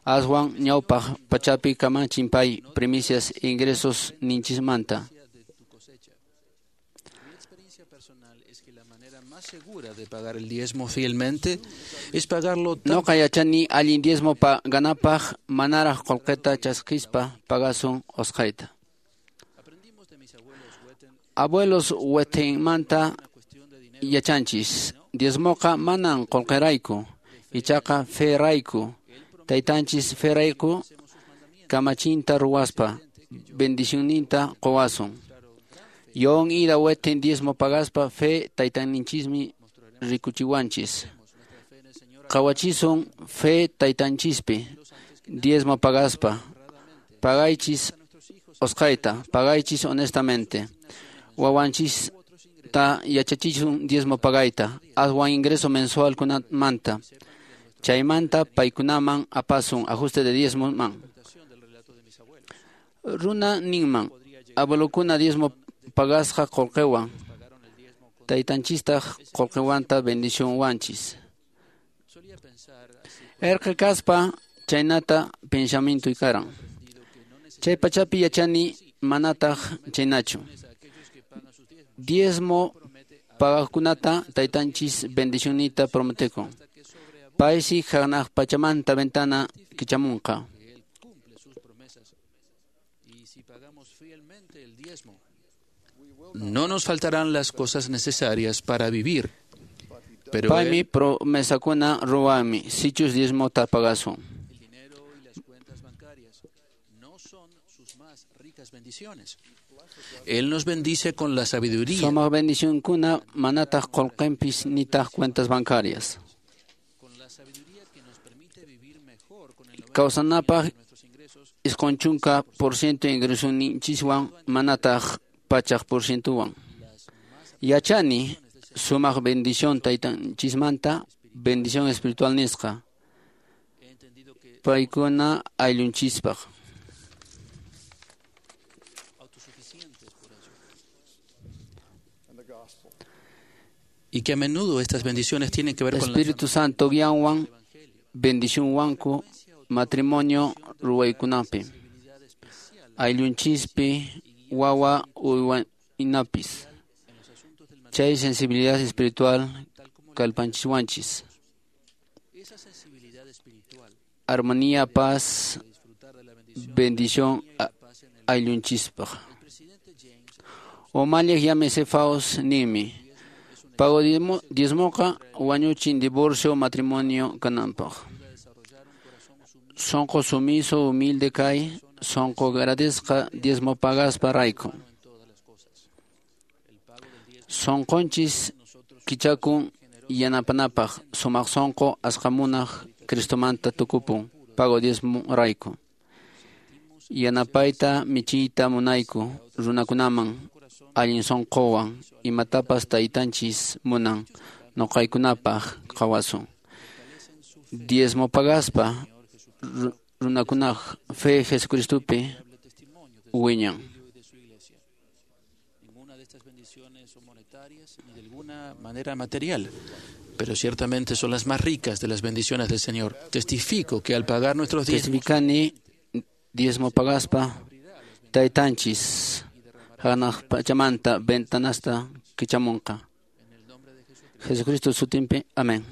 Aswan ñawpaq pachapi kamachin pay primicias ingresos ninchismanta. Mi experiencia personal es que la manera más segura de pagar el diezmo fielmente es pagarlo tan Noqa yachani allin diezmo paganapaq manaraq qolqeta chaskispa pagasun osqayta. Abuelos wetinmanta yachanchis, diezmoqa manan qolqerayku, ichaqa ferayku, taytanchis ferayku kamachinta ruwaspa, bendicionninta qowasun. Yon ida wetin diezmo pagaspa fe taytanichismi rikuchiwanchis. Qawachisun fe taytanchispi, diezmo pagaspa, pagaychis osqayta, pagaychis honestamente. Wawanchista yachachisun diezmo pagayta, aswan ingreso mensual kunamanta. Chaymanta paykunaman apasun ajuste de diezmo man. Runa ninman, abuelokuna diezmo pagasqa qolqewan, taytanchistaq qolqewanta bendición wanchis. Erqe kaspa chaynata pensamiento karan. Chay pachapi yachani manataq chaynachu. Diezmo pagaqkunata taytanchis bendicionita prometekun. Paysi hanaq pachamanta ventana kichamunqa. No nos faltarán las cosas necesarias para vivir. Pero Paymi promesakuna ruwanmi sichus diezmota pagasun. El dinero y las cuentas bancarias no son sus más ricas bendiciones. Él nos bendice con la sabiduría. Sumaq bendicionkuna manataq qolqenpis nitaq cuentas bancarias. Kawsanapaq 90% ingresonichiswan manataq 100%wan. Yachani sumaq bendición taytanchismanta bendición espiritual nisqa. Paykuna ayllunchispaq. Y que a menudo estas bendiciones tienen que ver con Espíritu Santo guianwan bendición wanku matrimonio ruwaykunapi. Ayllunchispi wawa uywanapis. Chay sensibilidad espiritual kallpanchiswanchis. Armonía, paz, bendición ayllunchispaq. Umalliq yamisefaos nimi. Pago diezmoqa wañuchin divorcio matrimonio kananpaq. Sonqo sumiso humilde kay, sonqo agradezca diezmo pagaspa rayku. Sonqonchis kichakun yanapanapaq sumaq sonqo asqamunaq Cristomanta tukupun pago diezmo rayku. Yanapayta michiyta munayku runakunaman allin sonqowan imatapas taytanchis munan noqaykunapaq qawasun. Diezmo pagaspa runakunaq fe Jesucristopi wiñan. Ni de alguna manera material, pero ciertamente son las más ricas de las bendiciones del Señor. Testifico que al pagar nuestros diezmos, Testificani diezmo pagaspa taytanchis hanaq pachamanta ventanasta kichamunqa. Jesucristo sutinpi. Amén.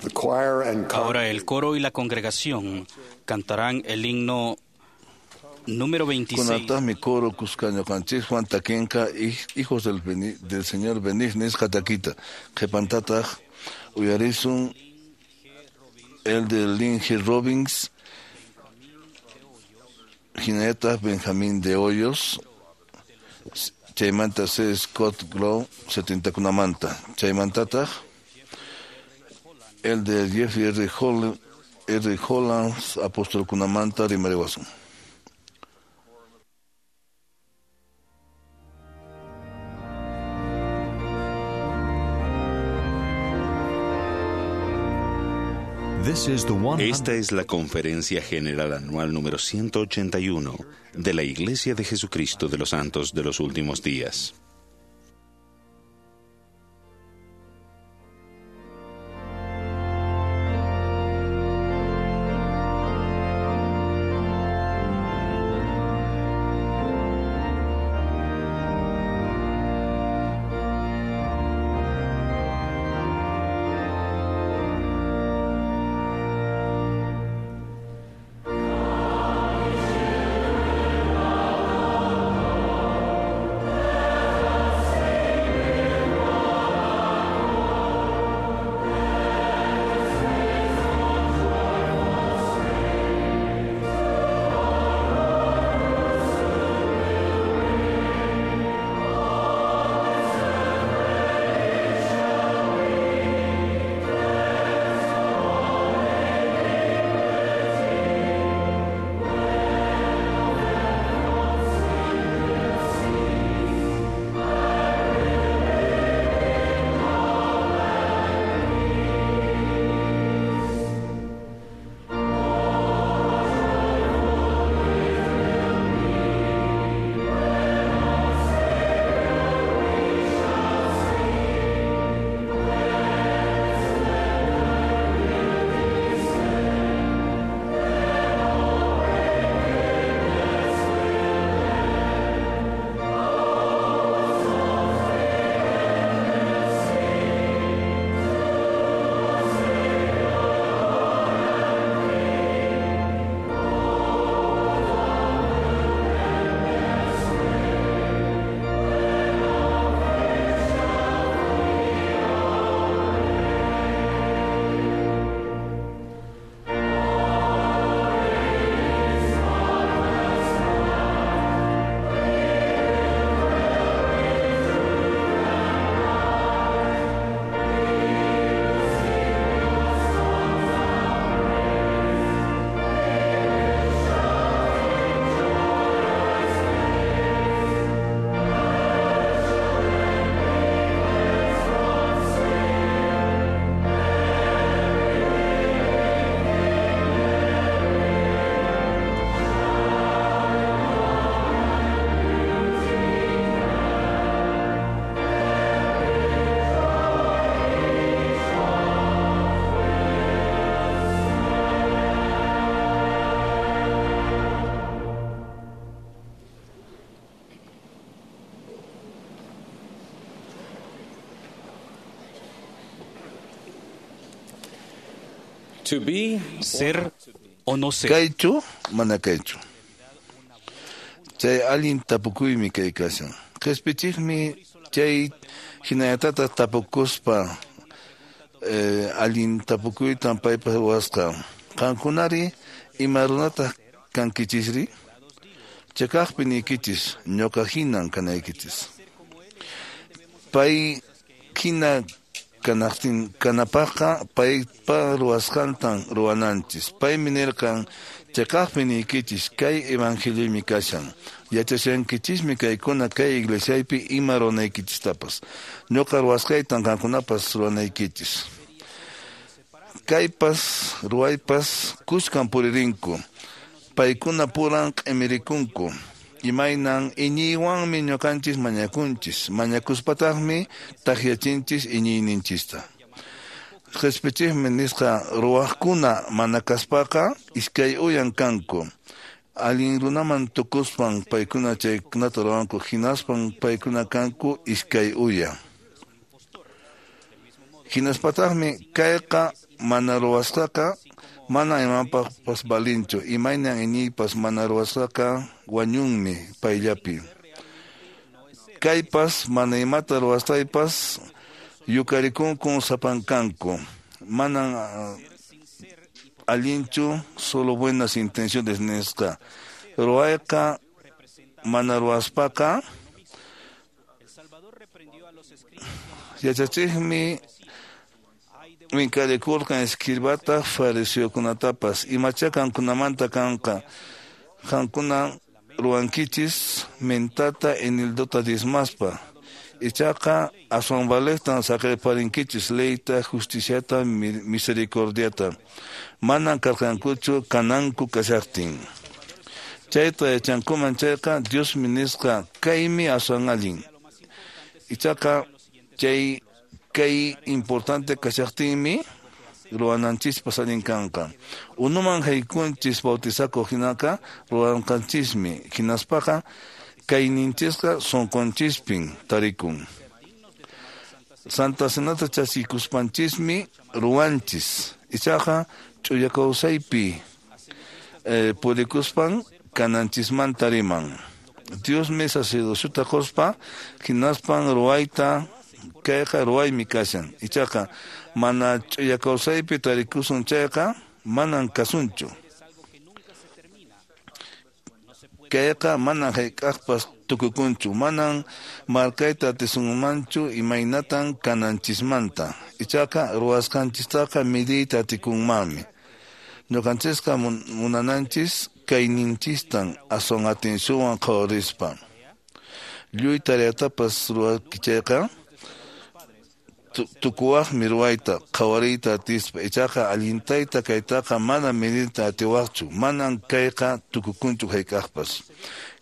The choir and Ahora el coro y la congregación cantarán el himno número 26. Kunataqmi coro kuskanñuqanchiswan takinqa hijos del Señor venid nisqa takita. Qhipantataq uyarisun el de Lynn G. Robbins, hinallataq Benjamín de Hoyos, chaymanta C. Scott Glow, 70kunamanta. Chaymantataq el de Jeffrey R. R. Holland, apostolkunamanta rimariwasun. Esta es la Conferencia General Anual número 181 de la Iglesia de Jesucristo de los Santos de los Últimos Días. Come, Ser o no ser. Kaychu mana kaychu. Chay allin tapukuymi kay kashan. Qispichiqmi chay hinallatata tapukuspa allin tapukuytan paypas ruwasqa. Qankunari ima runataq kankichisri? Chakaqpi niykichis ñuqa hinan kanaykichis. Pay hina kanaqtin kanapaqqa paypa ruwasqantan ruwananchis. Paymi nirqan chakaqpi niykichis kay evangeliomi kashan. Yachashankichismi kaykuna kay iglesiaypi ima ruwanaykichistapas. Ñuqa ruwasqaytan qankunapas ruwanaykichis. Kaypas ruwaypas kuskan puririnku. Paykuna puran q'imirikunku. Imaynan iñiywanmi ñuqanchis mañakunchis. Mañakuspataqmi takyachinchis iñiyninchista. Qispichiqmi nisqa ruwaqkuna mana kaspaqa iskay uyan kanku. Allin runaman tukuspan paykuna chaykunata ruwanku hinaspan paykuna kanku iskay uya. Hinaspataqmi kayqa mana ruwasqaqa mana imanpaqpas valinchu. Imaynan iñiypas mana ruwasqaqa wañunmi payllapi. Kaypas mana imata ruwasqaypas yukarikunkun sapankanku. Manan allinchu solo buenas intenciones nisqa. Ruwayqa mana ruwaspaqa yachachiqmi minkarikurqan escribataq fariseokunatapas. Imacha qankunamanta kanqa. Qankuna ruwankichis mentata enildota diezmaspa. Ichaqa aswan valeqtan saqerparinkichis leyta, justiciata, misericordiata. Manan karqankuchu kananku kashaqtin. Chayta yachankuman chayqa Diosmi nisqa kaymi aswan allin. Ichaqa chay kay importante kashaqtinmi ruwananchispas allin kanqa. Unuman haykunchis bautizakuq hinaqa ruwanqanchismi. Hinaspaqa kayninchisqa sunqunchispin tarikun. Santa Cenata chaskikuspanchismi ruwanchis. Ichaqa ch'uya kawsaypi purikuspan kananchismanta riman. Diosmi sacerdociota quspa hinaspan ruwayta kayqa ruwaymi kashan. Ichaqa mana ch'uya kawsaypi tarikusun chayqa manan kasunchu. Kayqa manan hayk'aqpas tukukunchu, manan markayta atisunmanchu imaynatan kananchismanta. Ichaqa ruwasqanchistaqa midiyta atikunmanmi. Ñuqanchisqa munananchis kayninchistan aswan atencionwan qhawarispa. Lluy tareatapas ruwaykichayqa tukuwaqmi ruwayta qhawariyta atispa. Ichaqa allintayta kaytaqa mana midiyta atiwaqchu. Manan kayqa tukukunchu hayk'aqpas.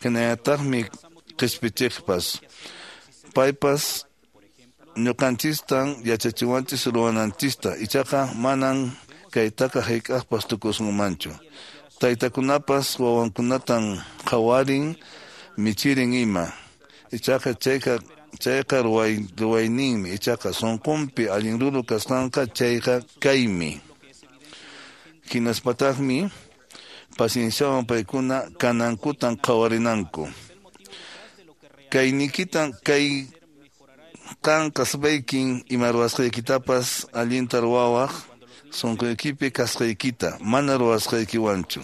Hinallataqmi qispichiqpas. Paypas ñuqanchistan yachachiwanchis ruwananchista. Ichaqa manan kaytaqa hayk'aqpas tukusunmanchu. Taytakunapas wawankunatan qhawarin michirin ima. Ichaqa chayqa ruwayninmi. Ichaqa sunqunpi allin ruru kasqanqa chayqa kaymi. Hinaspataqmi pacienciawan paykuna kanankutan qhawarinanku. Kaynikitan kay qan kasbaykin ima ruwasqaykitapas allinta ruwawaq sunquykipi kasqaykita mana ruwasqaykiwanchu.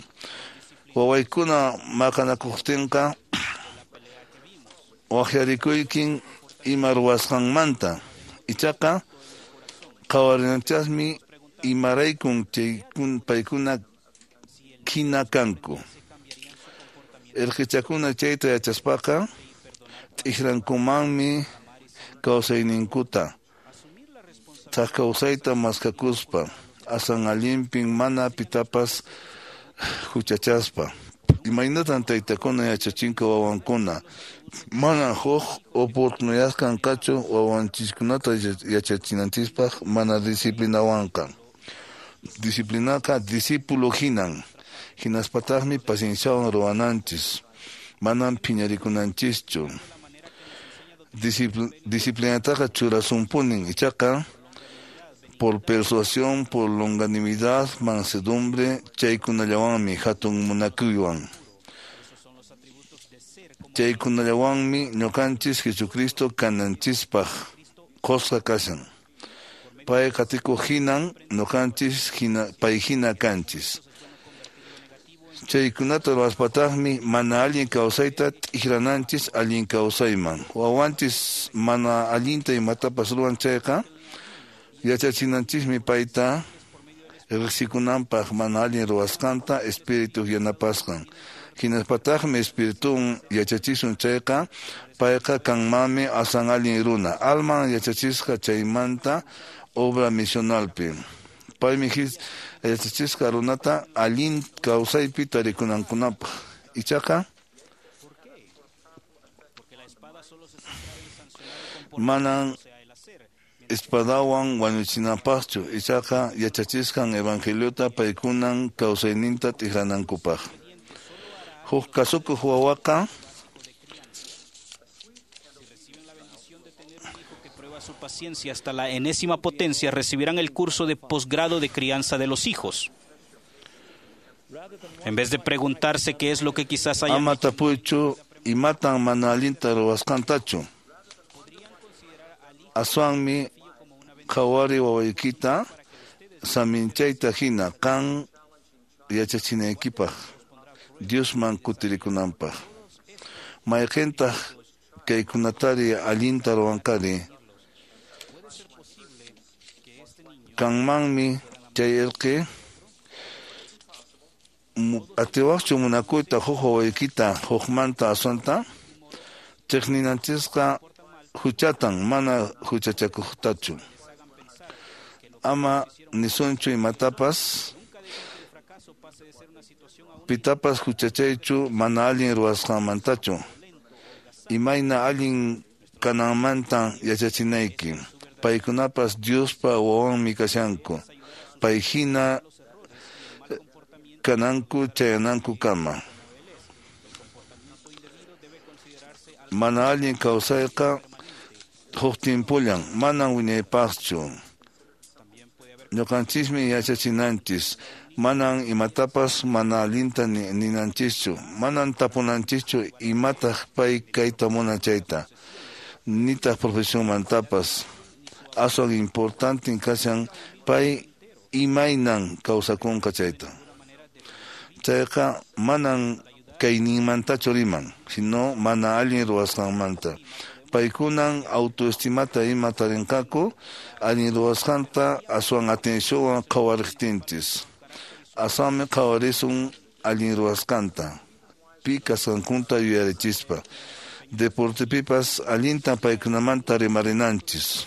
Wawaykuna maqanakuqtinqa waqyarikuykin ima ruwasqanmanta. Ichaqa qhawarinanchasmi imaraykun paykuna hina kanku. Irqichakuna chayta yachaspaqa t'ikrankumanmi kawsayninkuta. Thak kawsayta maskakuspa asan allinpin mana pitapas huchachaspa. Imaynatan taytakuna yachachinku wawankuna. Mana huk oportunidad kanqachu wawanchiskunata yachachinanchispaq mana disciplinawanqa. Disciplinaqa discípulo hinan. Hinaspataqmi pacienciawan ruwananchis. Manan phiñarikunanchischu. Disciplinataqa churasunpunin. Ichaqa Por persuasión, por longanimidad, mansedumbre, chaykunallawanmi hatun munakuywan. Chaykunallawanmi ñuqanchis Jesucristo kananchispaq qusqa kashan. Pay qatikuq hinan ñuqanchis hina pay hina kanchis. Chaykunata ruwaspataqmi mana allin kawsayta t'ikrananchis allin kawsayman. Wawanchis mana allinta imatapas ruwan chayqa yachachinanchismi payta riqsikunanpaq mana allin ruwasqanta espíritu yanapasqan. Hinaspataqmi espíritun yachachisun chayqa payqa kanmanmi asan allin runa. Alman yachachisqa chaymanta obra misionalpi. Paymi yachachisqa runata allin kawsaypi tarikunankunapaq. Ichaqa manan espadawan wañuchinapaqchu, ichaqa yachachisqan evangeliota paykunan kawsayninta t'ikranankupaq. Huk kasukuq wawaqa su paciencia hasta la enésima potencia, recibirán el curso de posgrado de crianza de los hijos. En vez de preguntarse qué es lo que quizás hayan ama tapuychu imatan mana allinta ruwasqantachu. Aswanmi qhawari wawaykita saminchayta hina qan yachachinaykipaq Diosman kutirikunanpaq. Mayqintaq kaykunatari allinta ruwanqari. Kanmanmi chay irqi atiwaqchu munakuyta huk wawaykita hukmanta aswanta chiqninanchisqa huchatan mana huchachakuqtachu. Ama nisunchu imatapas pitapas huchachaychu mana allin ruwasqanmantachu. Imayna allin kananmanta yachachinayki. Paykunapas Diospa wawanmi kashanku. Pay hina kananku chayanankukama. Mana allin kawsayqa huk timpullan, manan wiñaypaqchu. Ñuqanchismi yachachinanchis, manan imatapas mana allinta ninanchischu, manan tapunanchischu imataq pay kayta munan chayta, nitaq profesionmantapas. Aswan importante kashan pay imaynan kawsakunqa chayta. Chayqa manan kayninmantachu riman, sino mana allin ruwasqanmanta. Paykunan autoestimata ima tarinqaku allin ruwasqanta aswan atencionwan qhawariqtinchis. Aswanmi qhawarisun allin ruwasqanta, pi kasqankunta yuyarichispa. Deportepipas allinta paykunamanta rimarinanchis.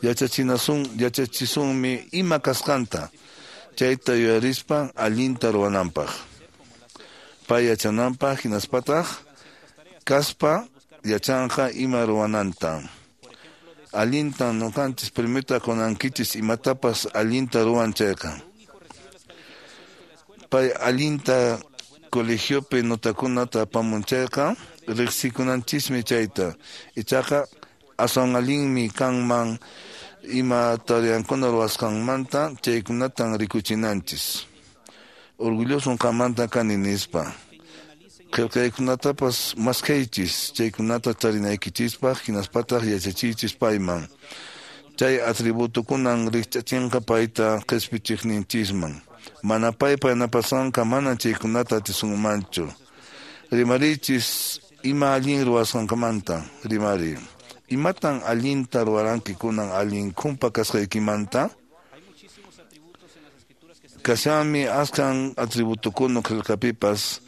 Yachachisunmi ima kasqanta, chayta yuyarispa allinta ruwananpaq. Pay yachananpaq hinaspataq kaspa yachanqa ima ruwananta. Allintan ñuqanchis premiota qunankichis imatapas allinta ruwan chayqa. Pay allinta colegiopi notakunata apamun chayqa riqsikunanchismi chayta. Ichaqa aswan allinmi kanman ima tareankuna ruwasqanmanta chaykunatan rikuchinanchis. Orgulloso qanmanta kani nispa. Qillqaykunatapas maskhaychis chaykunata tarinaykichispaq hinaspataq yachachiychis payman. Chay atributukunan rikch'achinqa payta qispichiqninchisman. Mana paypa yanapasanqa mana chaykunata atisunmanchu. Rimariychis ima allin ruwasqanmanta, rimariy. Imatan allinta ruwaranki kunan allin khumpa kasqaykimanta? Kashanmi askan atributukuna qillqapipas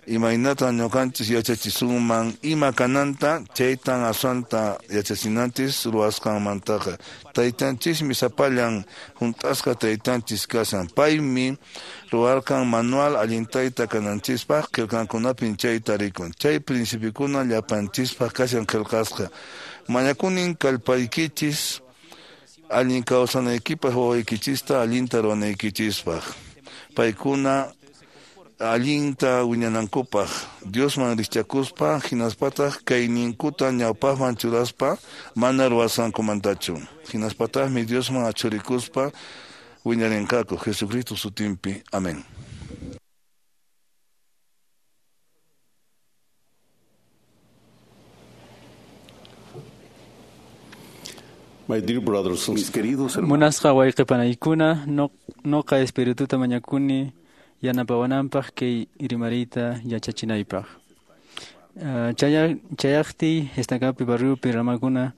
imaynatan ñuqanchis yachachisunman ima kananta chaytan aswanta yachachinanchis ruwasqanmantaqa. Taytanchismi sapallan hunt'asqa taytanchis kashan. Paymi ruwarqan manual allin tayta kananchispaq qillqankunapin chayta rikun. Chay principiokuna llapanchispaq kashan qillqasqa. Mañakunin kallpaykichis allin kawsanaykipaq wawaykichista allinta ruwanaykichispaq. Paykuna Allinta wiñanankupaq Diosman rikchakuspa hinaspataq kayninkuta ñawpaqman churaspa mana ruwasqankumantachu hinaspataqmi Diosman achurikuspa wiñarinqaku Jesucristo sutinpi. Amén. My dear brothers and Mis queridos hermanos, Munasqa wayqipanaykuna noqa espirituta mañakuni yanapawananpaq kay rimariyta yachachinaypaq. Chayaqtiy estacapi barriopi ramakuna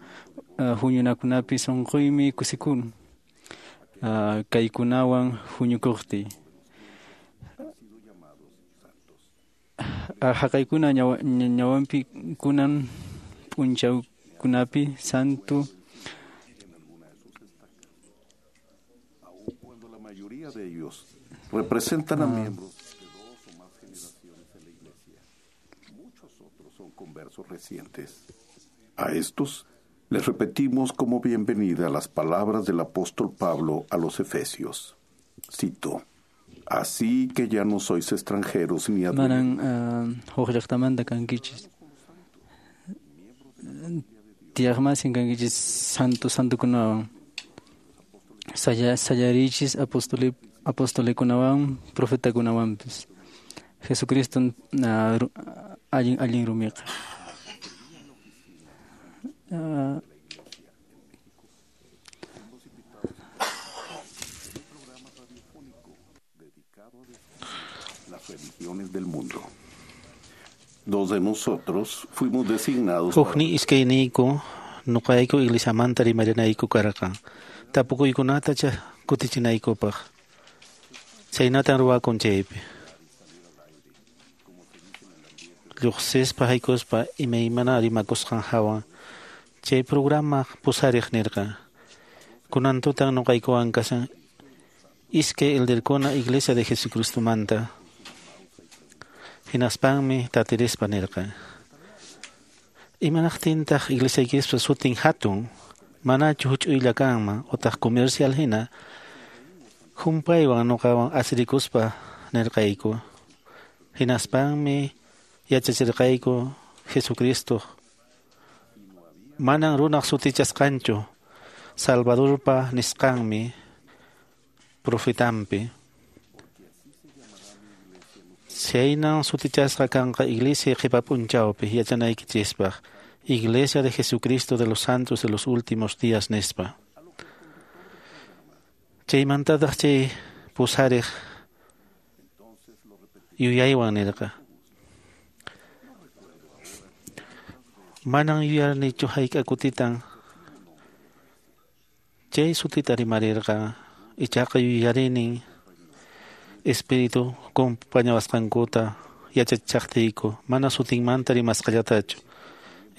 huñunakunapi sunquymi kusikun kaykunawan huñukuqtiy. Haqaykuna ñawanpi kunan p'unchawkunapi santo cuando la mayoría de ellos representan a miembros de dos o más generaciones en la iglesia, muchos otros son conversos recientes. A estos les repetimos como bienvenida las palabras del apóstol Pablo a los Efesios. Cito: Así que ya no sois extranjeros ni manan huk llaqtamanta kankichis tiyaqmasin kankichis santo santokunawan sayarichis apostolikunawan profetakunawanpis Jesucristo allin allin rumiqa. Las religiones del mundo. Dos de nosotros fuimos designados. Hukni iskayniyku nuqayku iglesiamanta rimarinayku karqan tapukuykunata kutichinaykupaq chaynatan ruwakun chaypi lluqsispa haykuspa imaymana rimakusqan hawan chay programa pusariq nirqan kunan tutan nuqaykuwan kashan iskay elderkuna Iglesia de Jesucristomanta hinaspanmi tatirispa nirqan imanaqtintaq iglesiaykispa sutin hatun manachu huch'uylla kanman utaq comercial hina humpaywan nuqawan asirikuspa nirqayku hinaspanmi yachachirqayku Jesucristo manan runaq sutichasqanchu Salvadorpa nisqanmi profetampi chaynan sutichasqa kanqa iglesia qhipa p'unchawpi yachanaykichispaq Iglesia de Jesucristo de los Santos de los Últimos Días nispa chaymantataq chay pusariq yuyaywan nirqa manan yuyarnichu hayk'a kutitan chay sutita rimarirqa ichaqa yuyarinin espíritu compañawasqankuta yachachaqtiyku mana sutinmanta rimasqallatachu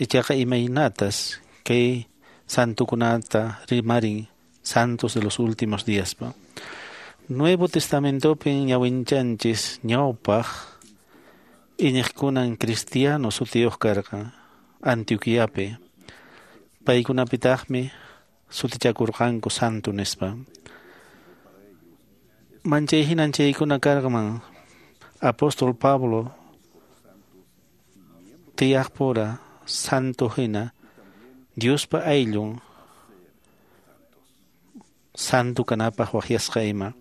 ichaqa imaynatas kay santukunata rimarin santos de los últimos díaspa Nuevo Testamentopin ñawinchanchis ñawpaq iñiqkunan cristiano sutiyuq karqan Antioquiapi paykunapitaqmi sutichakurqanku santo nispa manchay hinan chaykuna karqman apóstol Pablo tiyaqpura santo hina Diospa ayllun santo kanapaq waqyasqa ima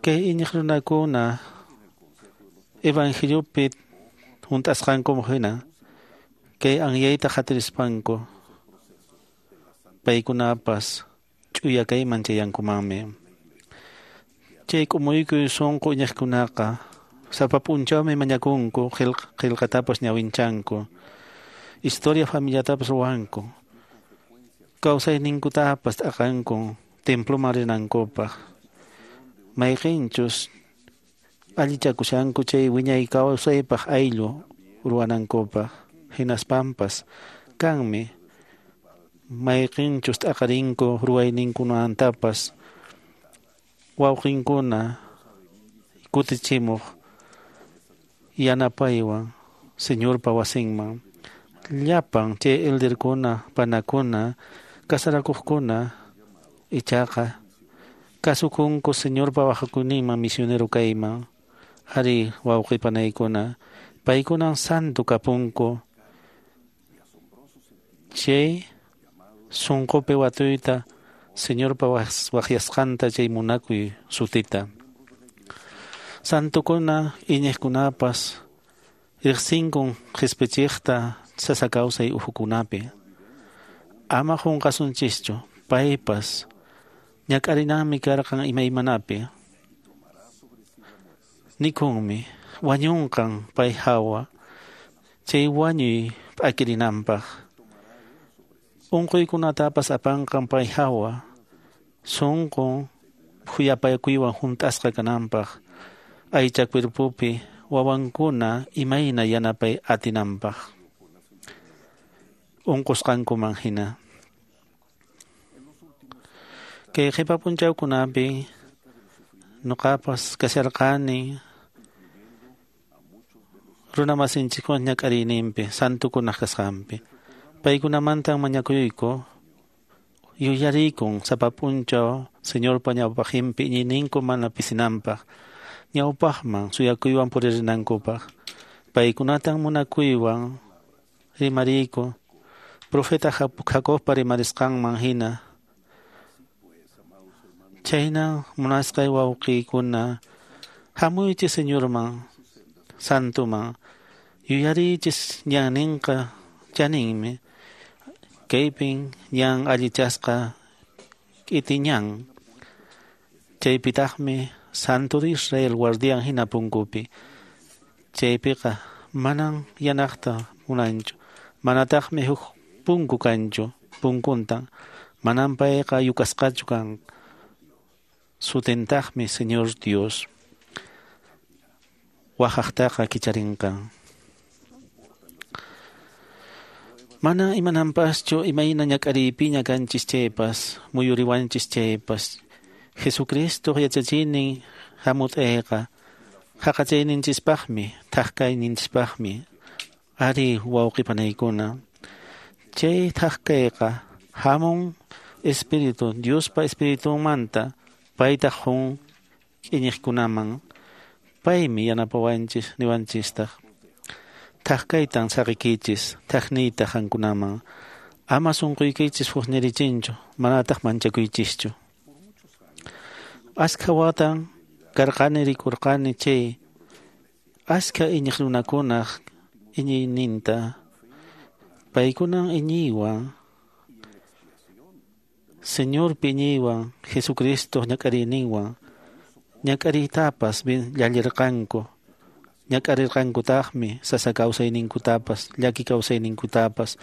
kay iñiq runakuna evangeliopi hunt'asqankum hina kay anyayta qatirispanku paykunapas ch'uya kayman chayankumanmi chay k'umuykuy sunqu iñiqkunaqa sapa p'unchawmi mañakunku qillqatapas ñawinchanku historia familiatapas ruwanku kawsayninkutapas t'aqanku temploman rinankupaq mayqinchus allichakushanku chay wiñay kawsaypaq ayllu ruwanankupaq hinaspanpas kanmi mayqinchus t'aqarinku ruwayninkunamantapas wawqinkuna kutichimuq yanapaywan Señorpa wasinman llapan chay elderkuna panakuna kasarakuqkuna ichaqa Kasukunku Señorpa waqhakuyninman misionero kayman. Ari wawqi panaykuna, paykunan santo kapunku. Chay sunqupi watuyta Señorpa waqyasqanta chay munakuy sutita. Santukuna iñiqkunapas riqsinkun qhispichiqta sasa kawsay uhukunapi. Ama qunqasunchischu, paypas ñak'arinanmi karqan imaymanapi. Nikunmi wañunqan pay hawa chay wañuy p'akirinanpaq. Unquykunatapas apanqan pay hawa sunqun khuyapakuywan hunt'asqa kananpaq, aycha cuerpopi wawankuna imayna yanapay atinanpaq unqusqankuman hina. Kay qhipa p'unchawkunapi nuqapas kasharqani runamasinchikkuna ñak'ariyninpi santukunaq kasqanpi. Paykunamantan mañakuyku, yuyariykun sapa p'unchaw Señorpa ñawpaqinpi iñiyninku mana pisinanpaq, ñawpaqman suyakuywan puririnankupaq. Paykunatan munakuywan rimariyku, profeta Jacobpa rimarisqanman hina. Chayna munasqay wawqiykuna, hamuychis Señorman, santuman, yuyariychis ñanninqa chaninmi, kaypin ñan allichasqa k'iti ñan. Chaypitaqmi Santo de Israel guardián hina punkupi. Chaypiqa manan yanaqta munanchu, manataqmi huk punku kanchu, punkuntan, manan payqa yukasqachu kan. Sutintaqmi Señor Dios waqaqtaqa kicharinqan. Mana imananpaschu imayna ñak'ariypiña kanchis chaypas, muyuriwanchis chaypas, Jesucristo yachachiynin hamut'ayqa haqachayninchispaqmi, thaqkayninchispaqmi. Ari wawqi panaykuna, chay thaqkayqa hamun Espíritu, Diospa Espiritunmanta, paytaq hun iñiqkunaman, paymi yanapawanchis niwanchistaq. Thaqkaytan saqiykichis, thaqniyta qankunaman. Ama sunquykichis huqnirichinchu, manataq manchakuychischu. Askha watan karqani rikurqani chay askha iñiq runakunaq iñiyninta, paykunan iñiywan, Señorpi iñiywan, Jesucristo ñak'ariyninwan, ñak'ariytapas llallirqanku, ñak'arirqankutaqmi sasa kawsayninkutapas, llaki kawsayninkutapas,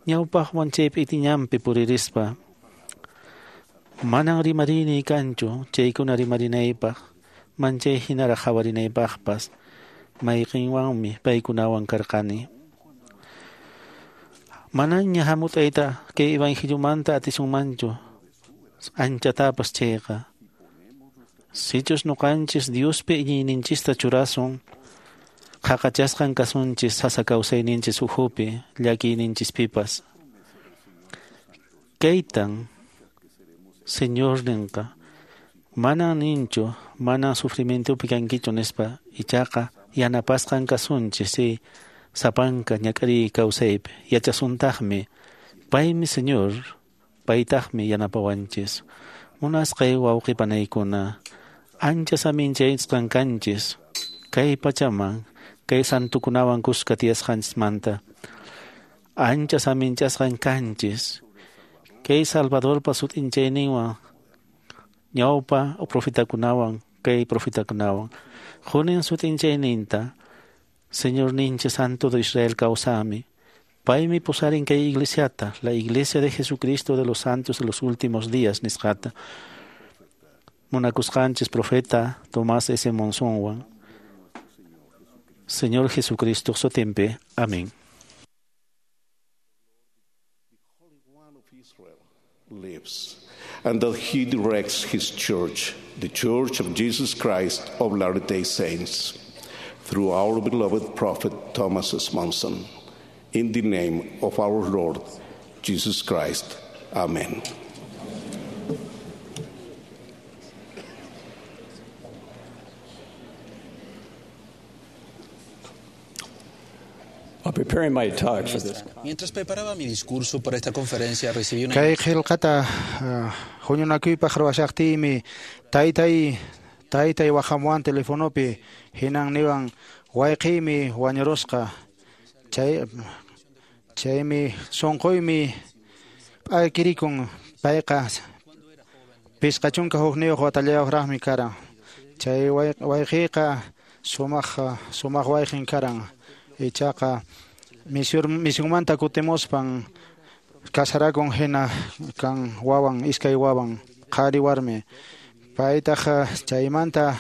ñawpaqwan chaypi itiñanpi puririspa. Manan rimarini kanchu chaykuna rimarinaypaq, manchay hinaraq qhawarinaypaqpas, mayqinwanmi paykunawan karqani. Manaña hamut'ayta kay evangeliomanta atisunmanchu anchatapas chayqa. Sichus nuqanchis Diospi iñiyninchista churasun, qhaqachasqan kasunchis sasa kawsayninchis ukhupi, llakiyninchispipas. Kaytan Señor ninqa, manan ninchu, manan sufrimientopi kankichu nispa, ichaqa yanapasqan kasunchis chay sapanka ñak'ariy kawsaypi, yachasuntaqmi, paymi Señor, paytaqmi yanapawanchis. Munasqay wawqi panaykuna, ancha saminchaysqan kanchis, kay pachaman, kay santukunawan kuska tiyasqanchismanta. Ancha saminchasqan kanchis, kay Salvadorpa sut'inchayninwan, ñawpa profetakunawan, kay profetakunawan. Hunin sut'inchayninta, Señor ninchis Santo de Israel kawsami. Paymi pusarin kay iglesiata, la iglesia de Jesucristo de los santos de los últimos días nisqata. Munakusqanchis profeta Tomás S. Monsonwan. Señor Jesucristo sutinpi. Amén. Lives, and that he directs his church, the Church of Jesus Christ of Latter-day Saints, through our beloved prophet Thomas S. Monson. In the name of our Lord Jesus Christ. Amen. Preparing my talk for this Mientras preparaba mi discurso para esta conferencia, recibí una Kay qillqata huñunakuypaq ruwashaqtiymi taytay taytay waqhamuwan telefonopi hinan niwan wayqiymi wañurusqa chay chaymi sunquymi p'akirikun payqa 51 watallayuqraqmi karan chay wayqiyqa sumaq sumaq wayqin karan ichaqa misionmanta kutimuspan kasarakun hina kan wawan iskay wawan qhari warmi paytaq chaymanta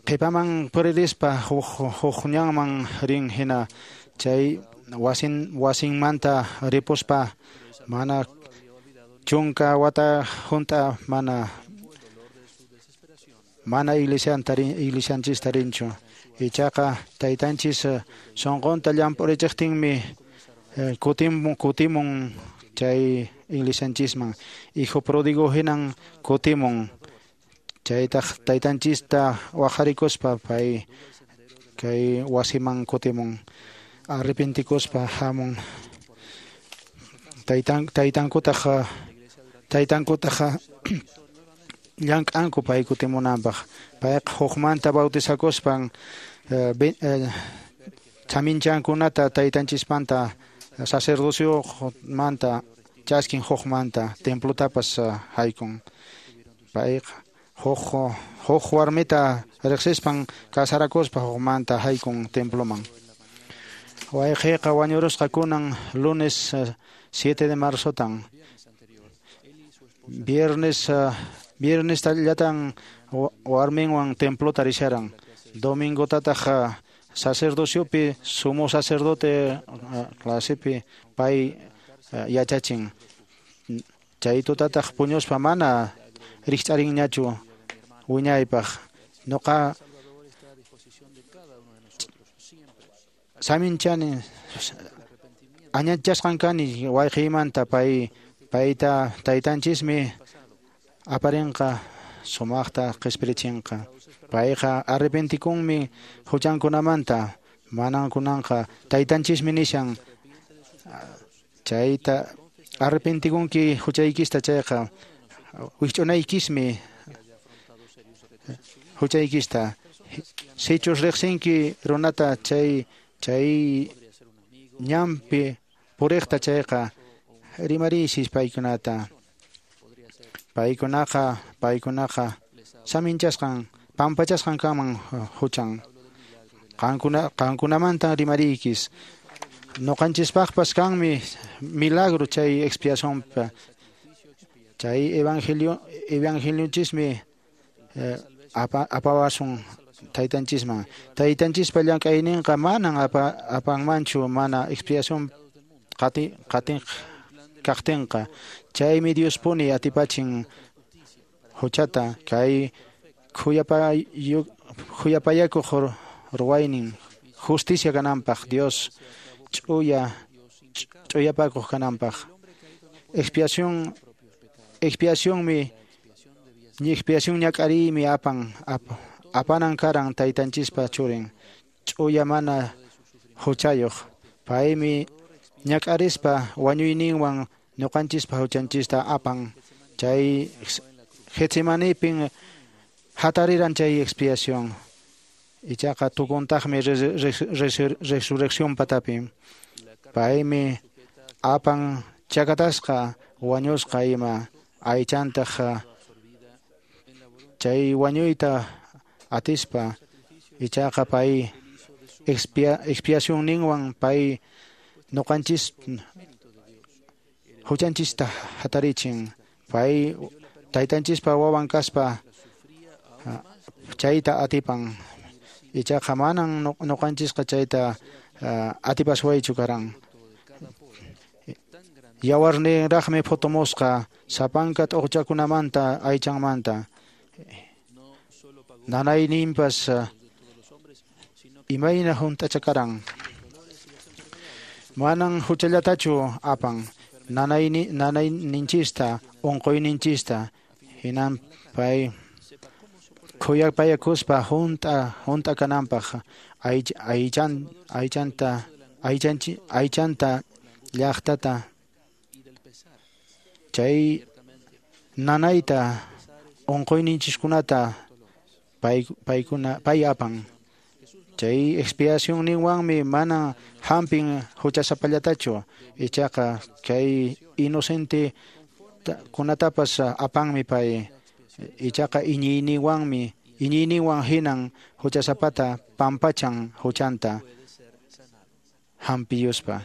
qhipaman puririspa huk ñanman rin hina chay wasinmanta ripuspa mana 10 wata hunt'a mana mana iglesianchista rinchu ichaqa taytanchis sunqunta llamp'urichiqtinmi kutimun chay iglesianchisman hijo pródigo hinan kutimun chaytaq taytanchista waqharikuspa pay kay wasiman kutimun arrepentikuspa hamun taytankutaq llank'anku pay kutimunanpaq payqa hukmanta bautizakuspan chaminchankunata taytanchispanta sacerdociomanta chaskin hukmanta templotapas haykun payqa huk warmita riqsispan kasarakuspa hukmanta haykun temploman. Wayqiyqa wañurusqa kunan lunes 7 de marzotan viernes llatan warminwan templota risharan domingotataq sacerdociopi sumo sacerdote clasepi pay yachachin chay tutataq puñuspa mana rikch'arinñachu wiñaypaq nuqa saminchani añachasqan kani wayqiymanta payta taytanchismi aparinqa sumaqta qispirichinqa payqa arrepentikunmi huchankunamanta manan kunanqa taytanchismi nishan chayta arrepentikunki huchaykista chayqa wikch'unaykismi huchaykista sichus riqsinki runata chay ñanpi puriqta chayqa rimariysis paykunata paykunaqa saminchasqan pampachasqan kanman huchan qankunamantan rimariykis nuqanchispaqpas kanmi milagro chay expiacionpa chay evangelionchismi apawasun taytanchisman taytanchispa llank'ayninqa manan apanmanchu mana expiación qatin kaqtinqa chaymi Diospuni atipachin huchata kay khuyapayakuq ruwaynin justicia kananpaq Dios ch'uyapakuq kananpaq expiacionmi expiación ñak'ariymi apanan karan taytanchispa churin ch'uya mana huchayuq paymi ñak'arispa wañuyninwan ñuqanchispa huchanchista apan chay Getsemanipin hatariran chay expiación ichaqa tukuntaqmi resurrección patapi paymi apan chakatasqa wañusqa ima aychantaq chay wañuyta atispa ichaqa pay expiacionninwan pay ñuqanchis huchanchista hatarichin pay taytanchispa wawan kaspa chayta atipan ichaqa manan ñuqanchisqa chayta atipaswaychu karan yawarninraqmi phutumusqa sapanka t'uqchakunamanta aychanmanta nanayninpas imayna hunt'acha karan manan huchallatachu apan nanayninchista unquyninchista hinan pay Khuyapayakuspa hunt'a kananpaq aychanta llaqtata chay nanayta unquyninchiskunata pay apan. Chay expiacionninwanmi mana hampin huchasapallatachu, ichaqa kay inocente kunatapas apanmi pay, ichaqa iñiyninwan hinan huchasapata pampachan huchanta hampiyuspa.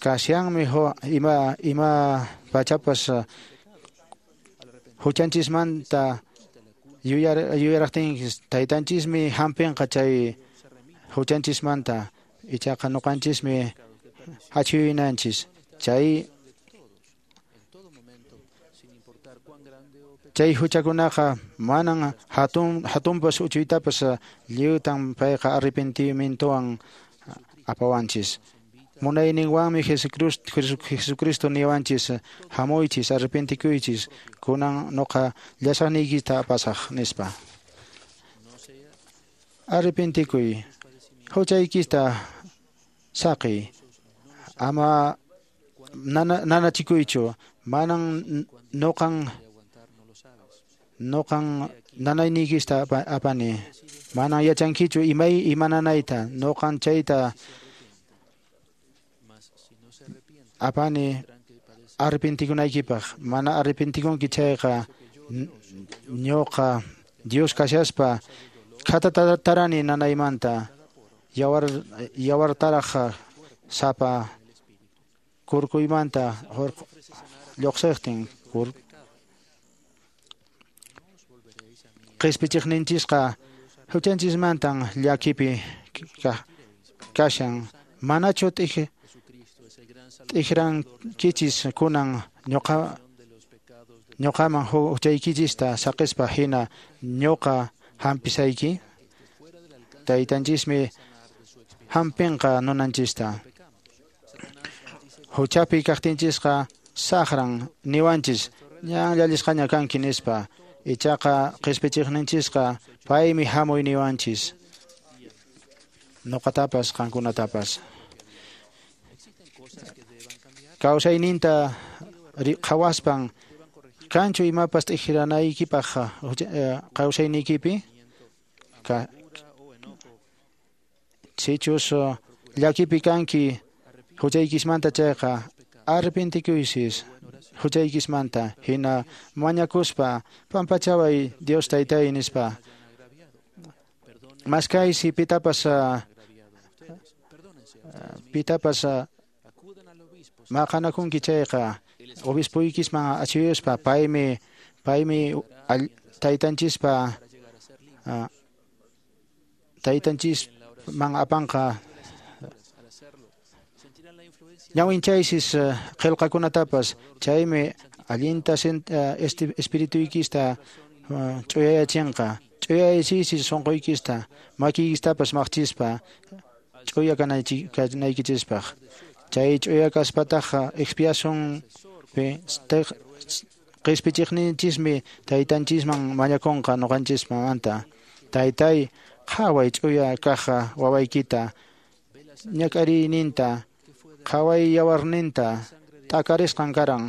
Kasyanmi ima pachapas huchanchismanta yuyaraqtinchis taytanchismi hampinqa chay huchanchismanta, ichaqa ñuqanchismi achhuyunanchis. Chay huchakunaqa manan hatunpas uchuytapas lliwtan payqa arrepentimientowan apawanchis. Munayninwanmi Jesucristo niwanchis hamuychis arrepentikuychis kunan nuqa llasaqniykita apasaq nispa. Arrepentikuy, huchaykista saqiy, ama nanachikuychu, manan nuqan nanayniykista apani, manan yachankichu ima nanayta, nuqan chayta apani arrepentikunaykipaq. Mana arrepentikunki chayqa ñuqa Dios kashaspa khatatarani nanaymanta, yawartaraq sapa kurkuymanta lluqsiqtin. Qispichiqninchisqa huchanchismantan llakipi kashan, manachu t'ikrankichis kunan ñuqaman huchaykichista saqispa hina ñuqa hampisayki? Taytanchismi hampinqa nunanchista. Huchapi kaqtinchisqa saqran niwanchis ñan llallisqaña kanki nispa, ichaqa qispichiqninchisqa paymi hamuy niwanchis ñuqatapas qankunatapas. Kawsayninta qhawaspan kanchu imapas t'ikiranaykipaq kawsayniykipi? Sichus llakipi kanki huchaykismanta chayqa arrepentikuysis huchaykismanta, hina mañakuspa pampachaway Dios taytay nispa. Maskaysi pitapas maqanakunki chayqa obispoykisman achhuyuspa paymi taytanchispa taytanchisman apanqa. Ñawinchaysis qillqakunatapas, chaymi allinta espirituykista ch'uyayachinqa. Ch'uyayachiysis sunquykista, makiykistapas maqchispa ch'uya kanaykichispaq. Chay ch'uya kaspataq expiacionpi qispichiqninchismi taytanchisman mañakunqa ñuqanchismanta. Taytay, qhaway ch'uya kaq wawaykita, ñak'ariyninta, qhaway yawarninta t'akarisqan karan,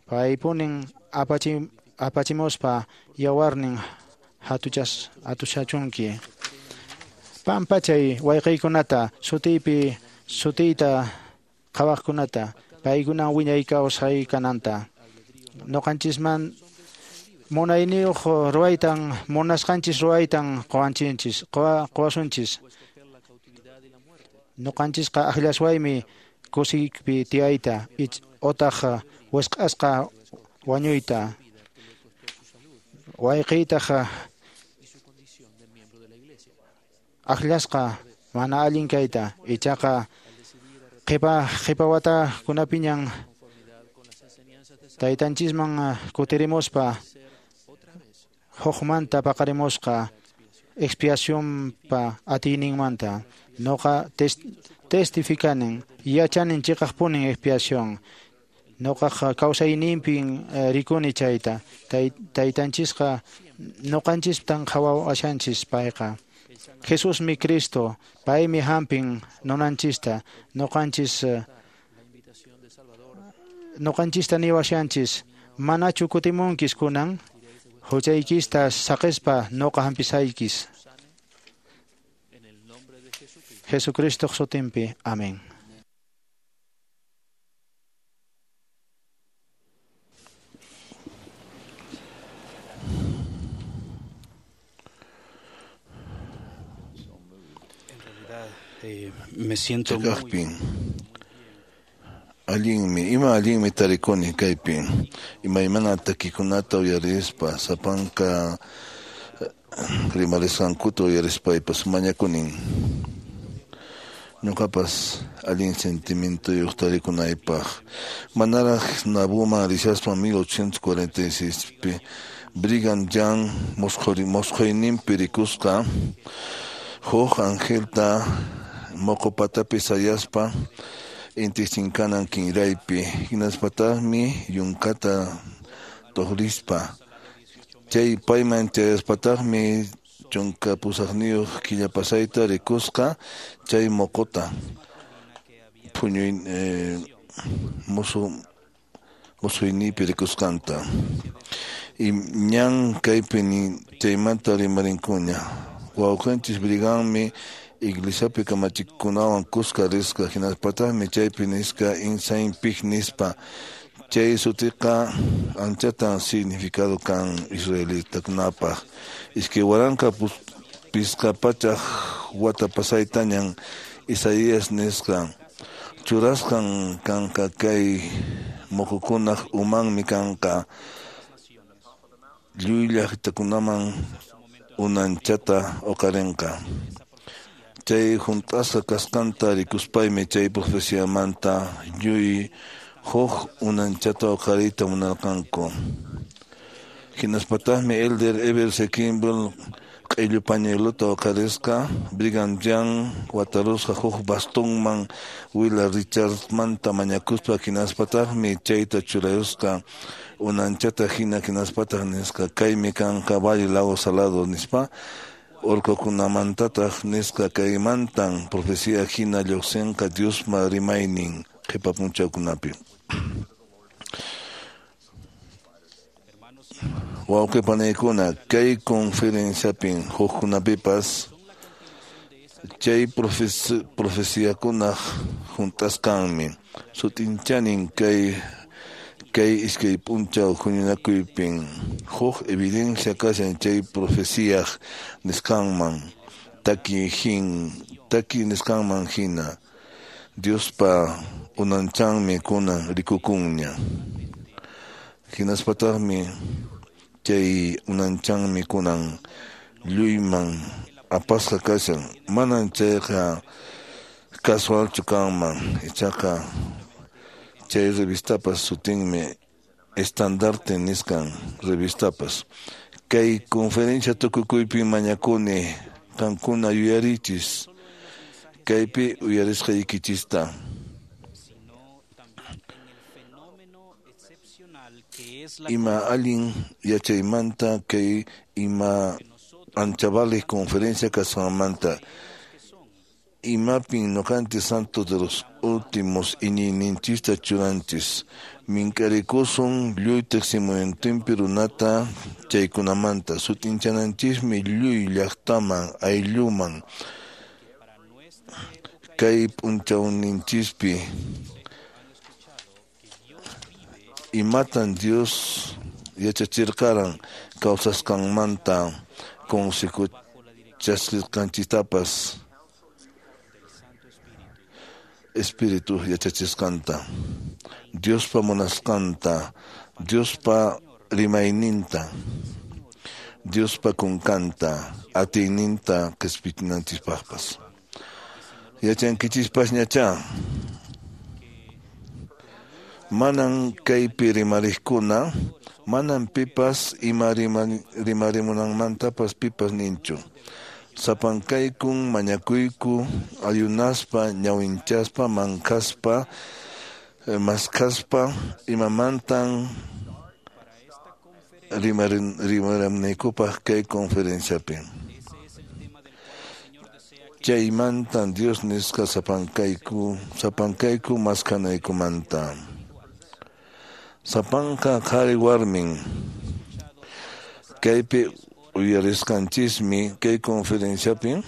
paypunin apachimuspa yawarnin hatuchachunki. Pampachay wayqiykunata, sutiyta qhawaqkunata, paykuna wiñay kawsay kananta. Ñuqanchisman munayniyuq ruwaytan, munasqanchis ruwaytan quwasunchis. Ñuqanchisqa akllashwaymi kusiypi tiyayta otaq wisq'asqa wañuyta. Wayqiytaq akllasqa mana allin kayta, ichaqa qhipa watakunapiñan taytanchisman kutirimuspa hukmanta paqarimusqa expiacionpa atiyninmanta. Ñuqa testificanin, yachanin chiqaqpunin expiación. Noqaq kawsayninpin rikuni chayta. Taytanchisqa noqanchistan qhawashanchis payqa. Jesusmi Cristo, paymi hampin nunanchista, noqanchista niwashanchis, manachu kutimunkis kunan, huchaykista saqispa noqa hampisaykis. Jesucristo sutinpi. Amén. Me siento muy... Allinmi, ima allinmi tarikuni kaypi. Imaymana takikunata uyarispa, sapanka rimarisqankuta uyarispaypas mañakunin. Ñuqapas allin sentimientoyuq tarikunaypaq. Manaraq Nabuman rishaspa 1846pi Brigham Young mosqhuyninpi rikusqa huk angelta moqo patapi sayaspa inti chinkanan kinraypi hinaspataqmi yunkata tuqrispa chay payman chayaspataqmi 18 killa pasayta rikusqa chay moqota puñuy musuynipi rikusqanta y ñan kaypi chaymanta rimarinkuña wawqinchis Brighammi iglesiapi kamachikunawan kuska risqa hinaspataqmi chaypi nisqa Ensign Peak nispa chay sutiqa anchatan significado kan israelitakunapaq 2500 wata pasaytañan Isaías nisqa churasqan kanqa kay muqukunaq umanmi kanqa lluy llaqtakunaman unanchata uqarinqa chay hunt'asqa kasqanta rikuspaymi chay profeciamanta lluy huk unanchata uqariyta munarqanku hinaspataqmi Elder Eber C. Kimball q'illu pañueluta uqarisqa Brigham Young watarusqa huk bastonman Willa Richardsmanta mañakuspa hinaspataqmi chayta churayusqa unanchata hina hinaspataq nisqa kaymi kanqa Valle Lago Salado nispa urqukunamantataq nisqa kaymantan profecía hina lluqsinqa Diospa rimaynin qhipa p'unchawkunapi. Wawqi panaykuna kay conferenciapin hukkunapipas chay profeciakunaq hunt'asqanmi sutinchanin kay iskay p'unchaw huñunakuypin huk evidencia kashan chay profeciaq nisqanman taki nisqanman hina Diospa unanchanmi kunan rikukunña hinaspataqmi chay unanchanmi kunan lluyman apasqa kashan manan chayqa casualchu kanman ichaqa chay revistapas sutinmi Estandarte nisqan revistapas kay conferencia tukukuypi mañakuni qankuna yuyarichis kaypi uyarisqaykichista. Ima allin yachaymanta kay ima ancha valiq conferencia kasqanmanta imapin ñuqanchis santos de los últimos iñiyninchista churanchis mink'arikusun lluy tiqsimuyuntinpi runata chaykunamanta sut'inchananchismi lluy llaqtaman aylluman kay p'unchawninchispi imatan Dios yachachirqaran kawsasqanmanta consejo chaskisqanchistapas Espíritu yachachisqanta Diospa munasqanta Diospa rimayninta Diospa kunkanta atiyninta qispichinanchispaqpas yachankichispañachá manan kaypi rimariqkuna manan pipas ima rimarimunanmantapas pipas ninchu sapankaykun mañakuyku ayunaspa ñawinchaspa mankaspa Maskaspa imamantan rimaramnaykupaq kay conferenciapi. Chaymantan Dios nisqa sapankayku maskanaykumanta. Sapanka qhari warmin kaypi uyarisqanchismi kay conferenciapi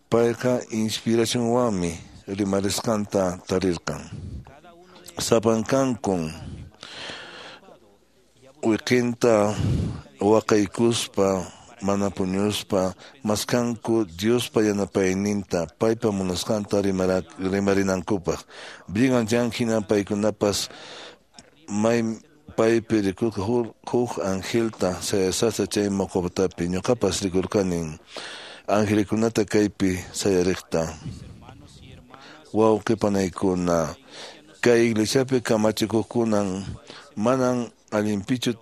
payqa inspiracionwanmi rimarisqanta tarirqan. Sapankankun wiqinta waqaykuspa mana puñuspa maskanku Diospa yanapayninta paypa munasqanta rimarinankupaq. Brigham Young hina paykunapas may paypi rikurqa huk angelta sayasata chay moqotapi ñuqapas rikurqanin angelikunata kaypi sayariqta. Wawqi panaykuna kay iglesiapi kamachikuqkunan manan allinpichu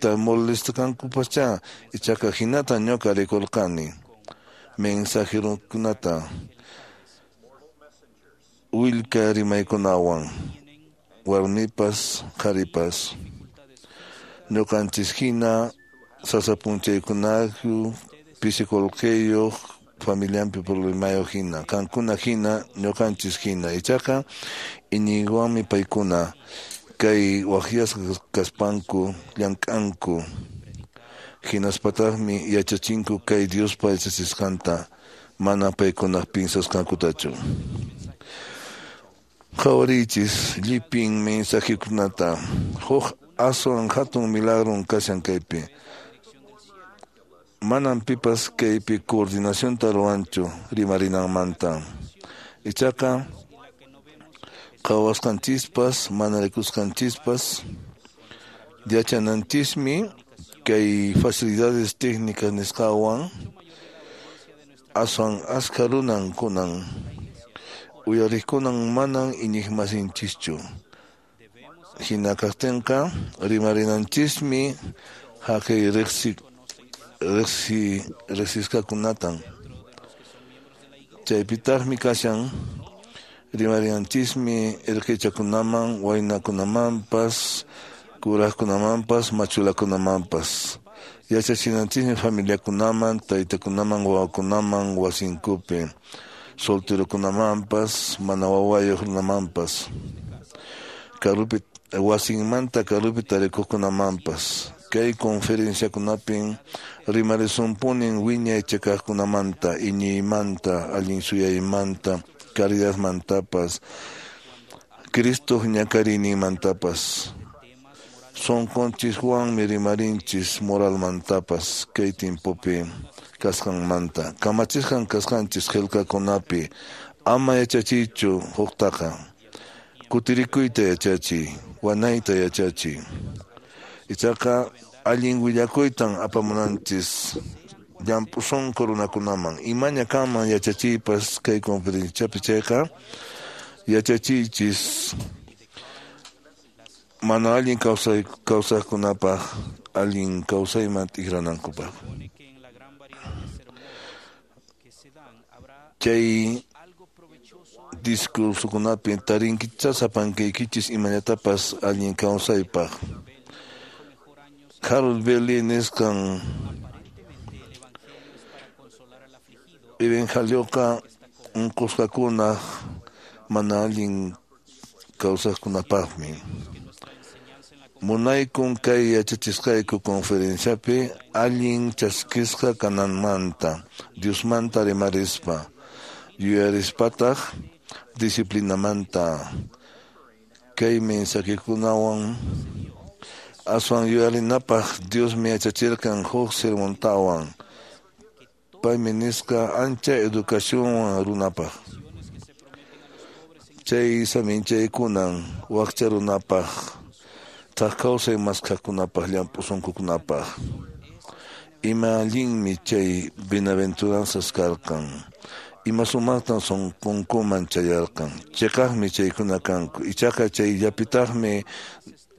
molestakankupaschá ichaqa hinata ñuqa rikurqani mensajerokunata willka rimaykunawan warmipas qharipas ñuqanchis hina sasa p'unchaykunaku pisi qullqiyuq familianpi problemayuq hina qankuna hina ñuqanchis hina ichaqa iñiywanmi paykuna kay waqyasqa kaspanku llank'anku hinaspataqmi yachachinku kay Diospa yachachisqanta mana paykunaq pinsasqankutachu. Qhawariychis llipin mensajekunata huk aswan hatun milagron kashan kaypi. Manan pipas kaypi coordinacionta ruwanchu rimarinanmanta. Ichaqa qhawasqanchispas mana rikusqanchispas yachananchismi kay facilidades técnicas nisqawan aswan askha runan kunan uyariqkunan manan iñiqmasinchischu. Hina kaqtinqa rimarinanchismi haqay riqsisqakunatan. Chaypitaqmi kashan rimarinanchismi irqichakunaman, waynakunamanpas, kuraqkunamanpas, machulakunamanpas. Yachachinanchismi familiakunaman, taytakunaman, wawakunaman, wasinkupi, solterokunamanpas, mana wawayuq runamanpas, karupi wasinmanta karupi tarikuqkunamanpas. Kay conferenciakunapin rimarisunpunin wiñay chakaqkunamanta, iñiymanta, allin suyaymanta, caridadmantapas, Cristoq ñakariyninmantapas. Sunqunchiswanmi rimarinchis moralmantapas kay timpupi kasqanmanta. Kamachisqan kasqanchis qillqakunapi ama yachachiychu huktaqa. Kutirikuyta yachachiy, wanayta yachachiy. Ichaqa allin willakuytan apamunanchis llamp'u sunqu runakunaman. Imaña kanman yachachiypas kay conferenciapi chayqa yachachiychis mana allin kawsaqkunapaq allin kawsayman tikranankupaq. Chay discursokunapi tarinkichá sapankaykichis imallatapas allin kawsaypaq. Harold Belli nisqan evangelioqa unqusqakunaq mana allin kawsaqkunapaqmi. Munaykun kay yachachisqayku conferenciapi allin chaskisqa kananmanta, Diosmanta rimarispa, yuyarispataq disciplinamanta. Kay mensajekunawan aswan yuyarinapaq Diosmi yachachirqan huk sermontawan. Paymi nisqa ancha educacionwan runapaq. Chay saminchaykunan wakcha runapaq, thak kawsay maskaqkunapaq, llamp'u sunqukunapaq. Ima allinmi chay bienaventuranzas karqan. Ima sumaqtan sunqunkuman chayarqan. Chiqaqmi chaykuna kanku. Ichaqa chayllapitaqmi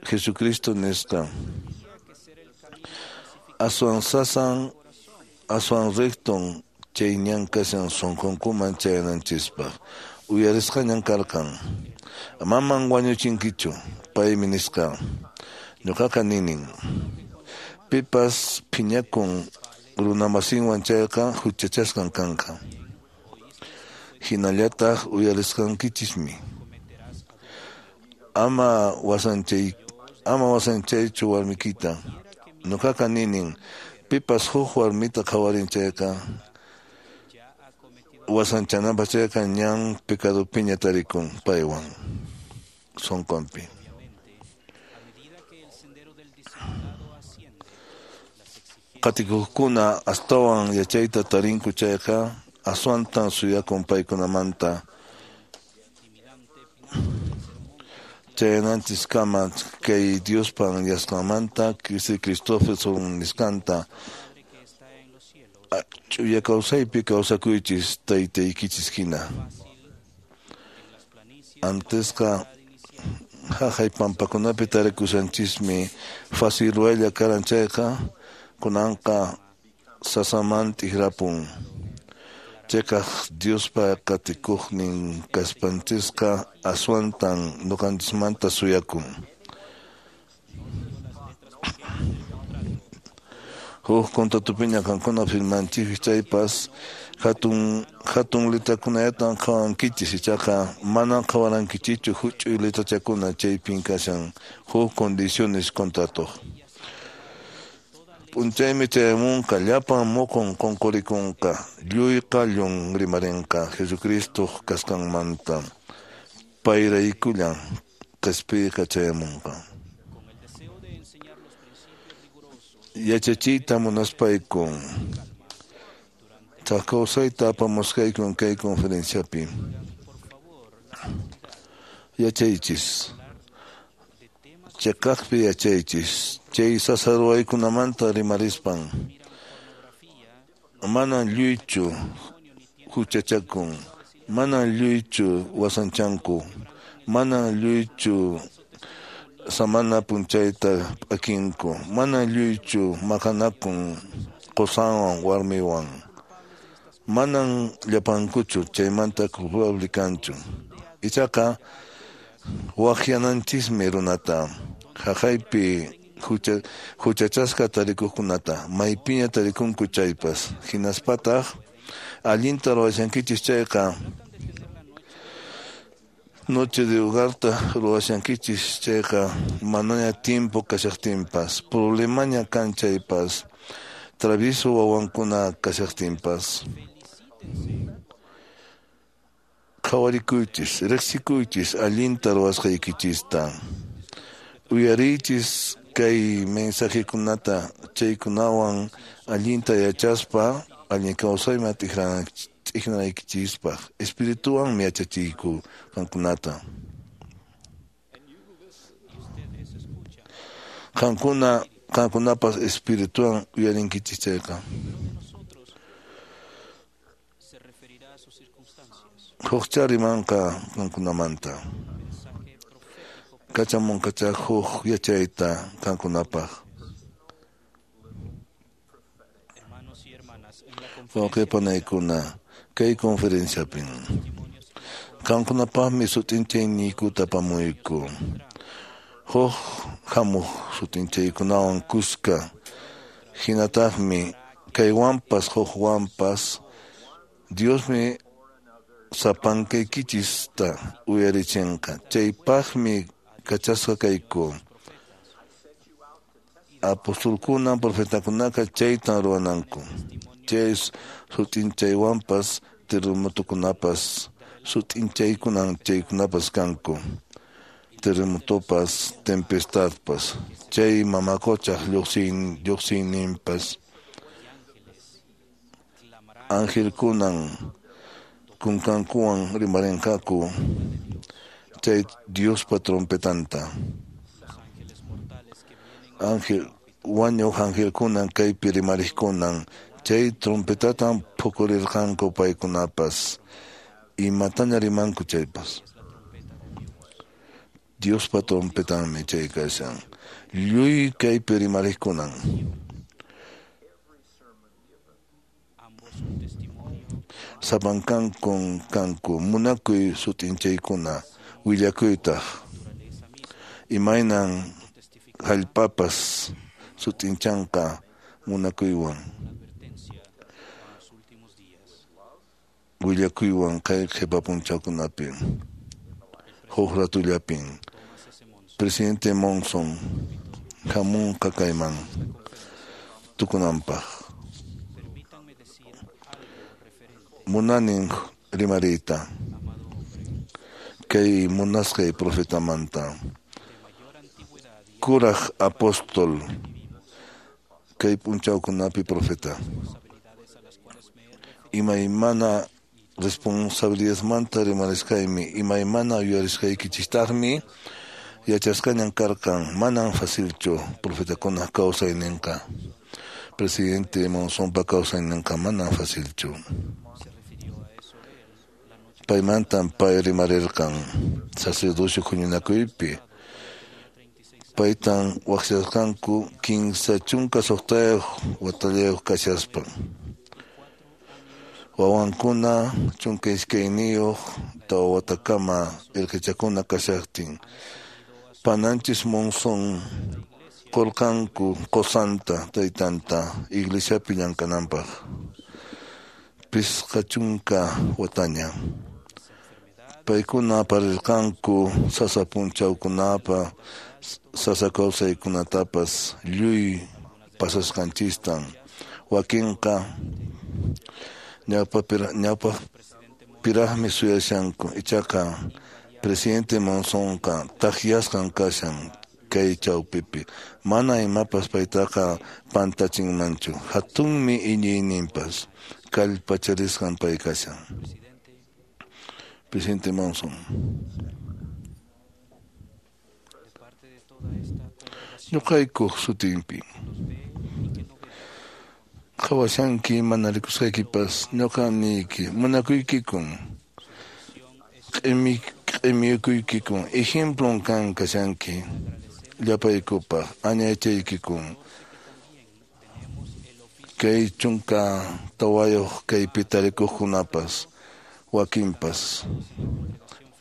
Jesucristo nisqa. Aswan sasan, aswan recton chay ñan kashan sunqunkuman chayananchispaq. Uyarisqañan karqan. Maman wañuchinkichu, paymi nisqa. Ñuqaqa ninin. Pipas phiñakun runamasinwan chayqa huchachasqan kanqa. Hinallataq uyarisqankichismi. Ama wasanchaychu warmikita. Ñuqaqa ninin, pipas huk warmita qhawarin chayqa wasanchananpaq chayqa ñan pecadopiña tarikun paywan sunqunpi. Qatikuqkuna astawan yachayta tarinku chayqa aswantan suyakun paykunamanta. Chayananchiskama kay Diospa yasqanmanta Christopherson nisqanta ch'uya kawsaypi kawsakuychis taytaykichis hina. Antesqa haqay pampakunapi tarikushanchismi fácil ruwaylla karan chayqa kunanqa sasaman t'ikrapun. Chayqa Diospa qatikuqnin kaspanchisqa aswantan ñuqanchismanta suyakun. Huk contratopiña qankuna firmanchis chaypas hatun letrakunallatan qhawankichis ichaqa manan qhawarankichichu huch'uy letrachakuna chaypin kashan huk condiciones contratoq. P'unchaymi chayamunqa llapan muqun qunqurikunqa lluy qallun rimarinqa Jesucristoq kasqanmanta payraykullan qispiyqa chayamunqa. Yachachiyta munaspaykun thak kawsayta apamusqaykun kay conferenciapi. Yachaychis. Chiqaqpi yachaychis. Chay sasa ruwaykunamanta rimarispan. Manan lluychu huchachakun. Manan lluychu wasanchanku. Manan lluychu samana punchayta p'akinku. Manan lluychu maqanakun qusanwan warmiwan. Manan llapankuchu chaymanta culpable kanchu. Ichaqa waqyananchismi runata haqaypi huchachasqa tarikuqkunata maypiña tarikunku chaypas. Hinaspataq allinta ruwashankichis chayqa noche de hogarta ruwashankichis chayqa manaña tiempo kashaqtinpas problemaña kan chaypas travieso wawankuna kashaqtinpas. Qhawarikuychis, riqsikuychis allinta ruwasqaykichista. Uyariychis kay mensajekunata chaykunawan allinta yachaspa allin kawsayman t'ikranaykichispaq. Espirituwanmi yachachiyku qankunata. Qankunapas espirituwan uyarinkichis chayqa. Hukcha rimanqa qankunamanta. Kachamunqacha huk yachayta qankunapaq. Wawqipanaykuna kay conferenciapin. Qankunapaqmi sut'inchayniykuta apamuyku. Huk hamuq sut'inchaykunawan kuska. Hinataqmi kaywanpas hukwanpas Diosmi sapankaykichista uyarichinqa. Chaypaqmi kachasqa kayku. Apostolkuna profetakunaqa chaytan ruwananku. Chay sut'inchaywanpas terremotokunapas sut'inchaykunan chaykunapas kanku. Terremotopas, tempestadpas, chay mamakochaq lluqsiyninpas. Angelkunan kunkankuwan rimarinqaku chay Diospa trompetanta. Ángel wañuq angelkunan kaypi rimariqkunan chay trompetatan phukurirqanku paykunapas imataña rimanku chaypas. Diospa trompetanmi chay kashan. Lluy kaypi rimariqkunan. Sapankankun kanku munakuy sut'inchaykuna Willakuytaq imaynan hallpapas sut'inchanqa munakuywan. Willakuywan kay qhipa p'unchawkunapi huk ratullapin Presidente Monson hamunqa kayman tukunanpaq. Munanin rimariyta kay munasqay profetamanta kuraq apóstol kay p'unchawkunapi profeta imaymana responsabilidadmanta rimarisqaymi imaymana yuyarisqaykichiktaqmi yachasqañan karqan manan facilchu profetakunaq kawsayninqa presidente Monsonpa kawsayninqa manan facilchu. Paymantan pay rimarirqan sacerdocio huñunakuypi paytan waqyasqanku 36 watallayuq kashaspa wawankuna 12 tawa watakama irqichakuna kashaqtin pananchis Monson qurqanku qusanta taytanta iglesiapi llamk'ananpaq 50 wataña paykuna aparirqanku sasa p'unchawkunapa sasa kawsaykunatapas lluy pasasqanchistan wakinqa ñawpaqpiraqmi suyashanku ichaqa presidente Monsonqa takyasqan kashan kay chawpipi mana imapas paytaqa pantachinmanchu hatunmi iñiyninpas kallpacharisqan pay kashan. Presidente Monson, ñuqaykuq sutinpi qhawashanki mana rikusqaykipas ñuqa niyki munakuykikun q'imiykuykikun ejemplon kan kashanki llapaykupaq añaychaykikun kay 14 kaypi tarikuqkunapas wakinpas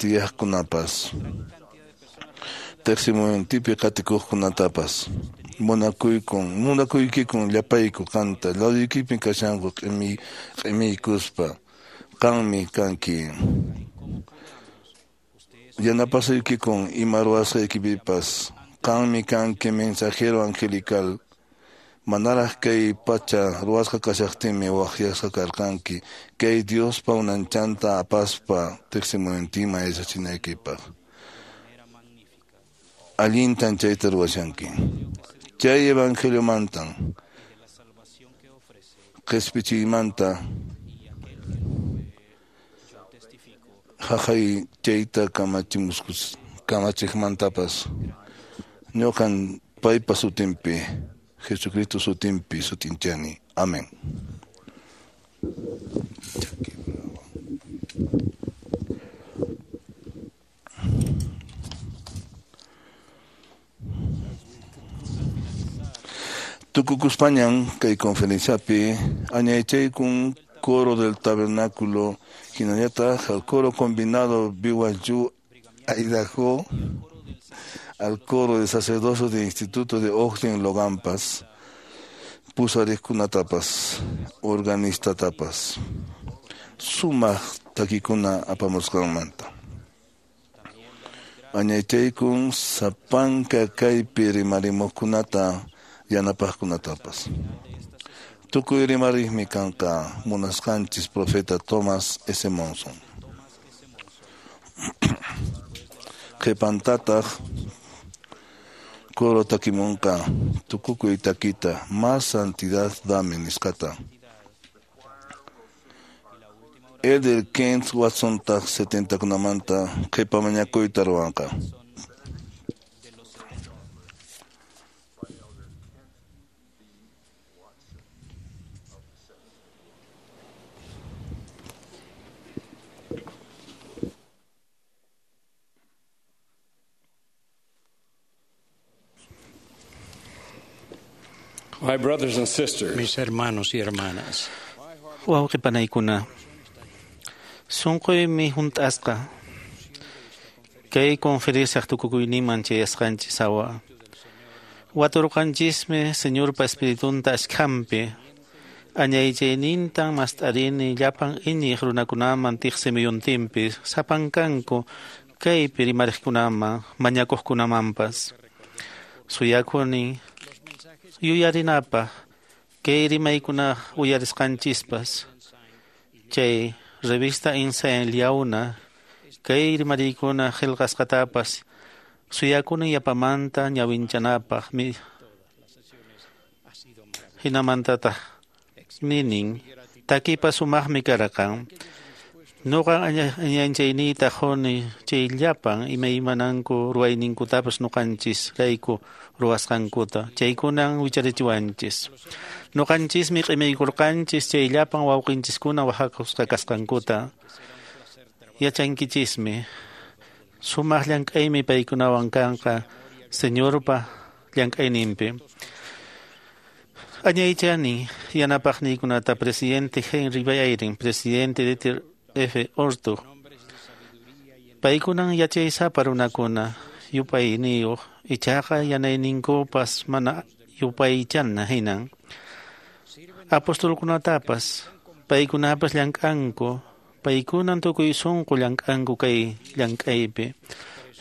tiyaqkunapas teqsimuyuntipi qatikuqkunatapas munakuykikun llapayku qanta laduykipin kashanku q'imiykuspa qanmi kanki yanapasuykikun ima ruwasqaykipipas qanmi kanki mensajero angelical manaraq kay pacha ruwasqa kashaqtinmi waqyasqa karqanki kay Diospa unanchanta apaspa teqsimuyuntinman yachachinaykipaq allintan chayta ruwashanki chay evangeliomantan qhispichiymanta haqay chayta kamachiqmantapas ñuqan paypa sutinpi Jesucristo sutinpi sutinchani. Amén. Tukukuspañan kay conferenciapi añaychaykun coro del tabernáculo hinallataq al coro combinado BYU Idaho al coro de sacerdocio del Instituto de Ogden Logampas pusariqkunatapas organistatapas sumaq takikuna apamusqanmanta añaychaykun sapanka kaypi rimarimuqkunata yanapaqkunatapas tukuy rimariqmi kanqa munasqanchis profeta Thomas S. Monson qhipantataq coro takimunqa tukukuy takita más santidad dame nisqata Elder Kent Watsontaq 70kunamanta qhipa mañakuyta ruwanqa. My brothers and sisters, Mis hermanos y hermanas, Wawqi panaykuna, sunquymi hunt'asqa. Kay conferenciaq tukukuyninman chayasqanchis hawa. Waturqanchismi Señorpa Espiritunta ashkhampi. Añaychaynintan mast'arini llapan iñiq runakunaman tiqsimuyuntinpi sapankanku kaypi rimariqkunaman mañakuqkunamanpas. Suyakuni yuyarinapaq kay rimaykuna uyarisqanchispas. Chay revista Ensign Liauna kay rimariykuna qillqasqatapas suyakuni yapamanta ñawinchanapaq hinamantataq ninin takipas sumaqmi karqan. Nuqa añanchayniyta quni chay llapan imaymananku ruwayninkutapas nuqanchis rayku ruwasqankuta chaykunan wicharichiwanchis. Nuqanchismi q'imaykurqanchis chay llapan wawqinchiskuna wahakusqa kasqankuta. Yachankichismi sumaq llank'aymi paykunawan kanqa Señorpa llank'ayninpi. Añaychani yanapaqniykunata presidente Henry Eyring, presidente Dieter F. Uchtdorf. Paykunan yachaysapa runakuna yupayniyuq ichaqa yanayninkupas mana yupaychana hinan. Apostolkunatapas paykunapas llank'anku, paykunan tukuy sunqu llank'anku kay llank'aypi.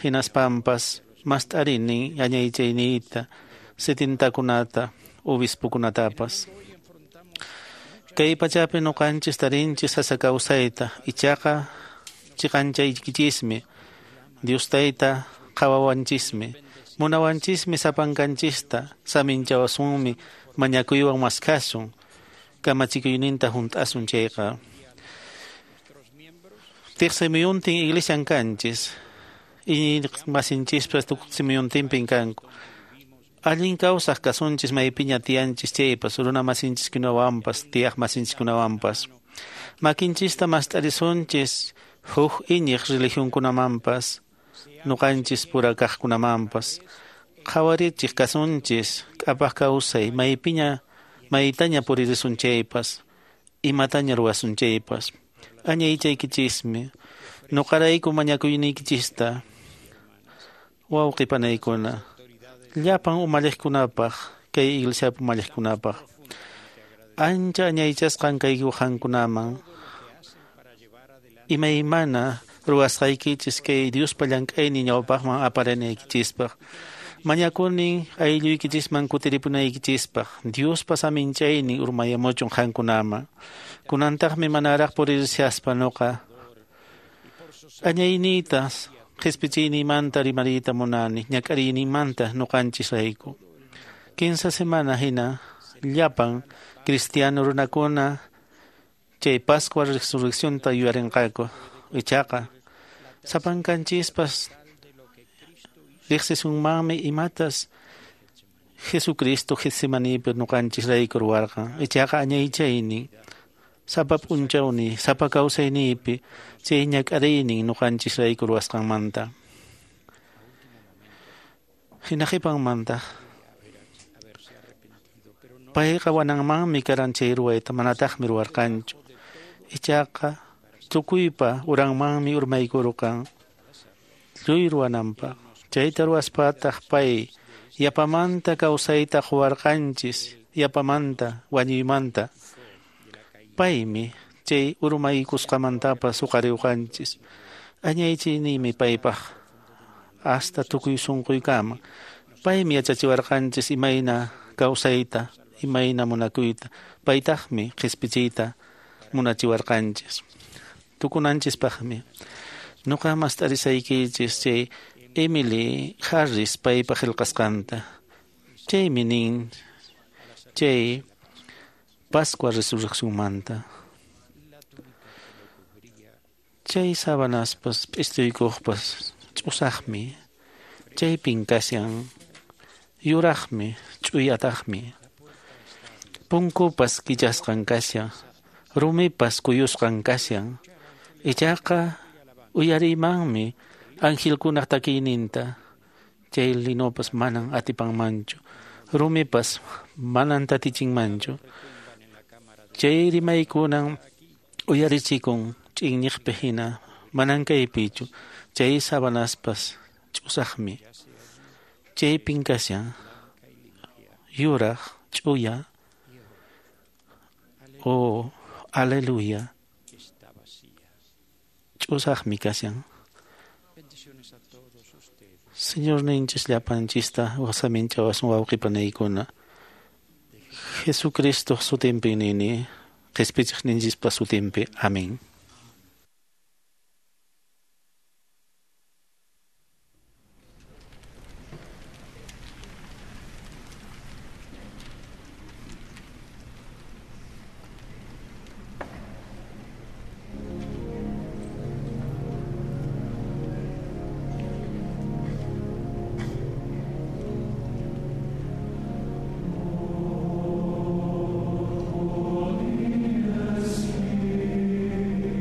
Hinaspampas mast'arini añaychayniyta setintakunata obispokunatapas. Kay pachapi nuqanchis tarinchis sasa kawsayta ichaqa chiqanchaykichismi Dios tayta qhawawanchismi munawanchismi sapankanchista saminchawasunmi mañakuywan maskhasun kamachikuyninta hunt'asun chayqa. Tiqsimuyuntin iglesian kanchis iñiqmasinchispas tuqsimuyuntinpin kanku. Allin kawsaq kasunchis maypiña tiyanchis chaypas runa masinchiskunawanpas tiyaq masinchiskunawanpas. Makinchista mast'arisunchis huk iñiq religionkunamanpas nuqanchis pura kaqkunamanpas. Qhawarichiq kasunchis k'apaq kawsay maypiña maytaña puririsun chaypas imataña ruwasun chaypas. Añaychaykichismi nuqarayku mañakuyniykichista wawqi panaykuna. Llapan umalliqkunapaq kay iglesiapi umalliqkunapaq ancha añaychasqan kayku qankunaman imaymana ruwasqaykichis kay Diospa llank'aynin ñawpaqman aparinaykichispaq. Mañakunin aylluykichisman kutiripunaykichispaq Diospa saminchaynin urmayamuchun qankunaman. Kunantaqmi manaraq puririshaspa nuqa añayniytas qhispichiynimanta rimariyta munani ñak'ariynimanta nuqanchisrayku. 15 semana hina llapan cristiano runakuna chay Pascua resurreccionta yuyarinqaku. Ichaqa sapankanchispas riqsisunmanmi imatas Jesucristo Getsemanipi nuqanchisrayku ruwarqan. Ichaqa añaychaynin sapa p'unchawni sapa kawsayniypi chay ñak'ariynin nuqanchisrayku ruwasqanmanta. Hina qhipanmanta payqa wananmanmi karan chay ruwayta manataqmi ruwarqanchu. Ichaqa tukuypa uranmanmi urmaykurqan lluy ruwananpaq. Chayta ruwaspataq pay yapamanta kawsayta quwarqanchis yapamanta wañuymanta. Paymi chay urmaykusqamantapas huqariwqanchis. Añaychayniymi paypaq hasta tukuy sunquykama. Paymi yachachiwarqanchis imayna kawsayta, imayna munakuyta. Paytaqmi qhispichiyta munachiwarqanchis. Tukunanchispaqmi nuqa mast'arisaykichis chay Emily Harris paypa qillqasqanta. Chaymi nin chay Pascua resurreccionmanta. Chay sabanaspas p'istuykuqpas ch'usaqmi, chaypin kashan yuraqmi, ch'uyataqmi. Punkupas kichasqan kashan, rumipas kuyusqan kashan. Ichaqa uyariymanmi angelkunaq takiyninta. Chay linopas manan atipanmanchu, rumipas manan tatichinmanchu. Chay rimaykunan uyarichikun ch'inñiqpi hina, manan kaypichu. Chay sabanaspas ch'usaqmi. Chaypin kashan yuraq ch'uya. Oh, aleluya. Ch'usaqmi kashan. Señor ninchis llapanchista wasaminchawasun wawqipanaykuna. Jesucristo sutinpi nini, qhispichiq ninchispa sutinpi. Amén. Holy Spirit.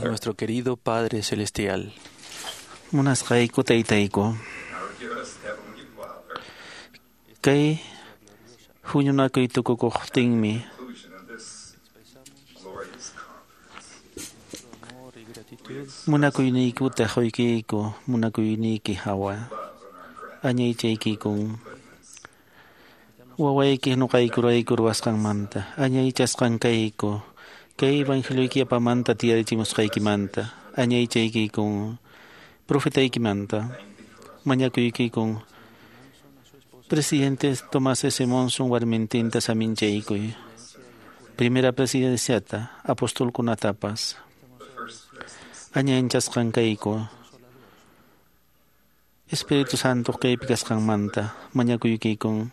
Nuestro querido Padre Celestial. Munasqayku taytayku. Kay huñunakuy tukukuqtinmi munakuyniykuta quykiyku munakuyniyki hawa añaychaykikun wawayki nuqaykurayku ruwasqanmanta añaychasqan kayku kay evangelioyki yapamanta tiyarichimusqaykimanta añaychaykikun profetaykimanta mañakuykikun Presidente Tomás S. Monson warmintinta saminchaykuy primera presidenciata apostolkunatapas añanchasqan kayku Espíritu Santo kaypi kasqanmanta mañakuykikun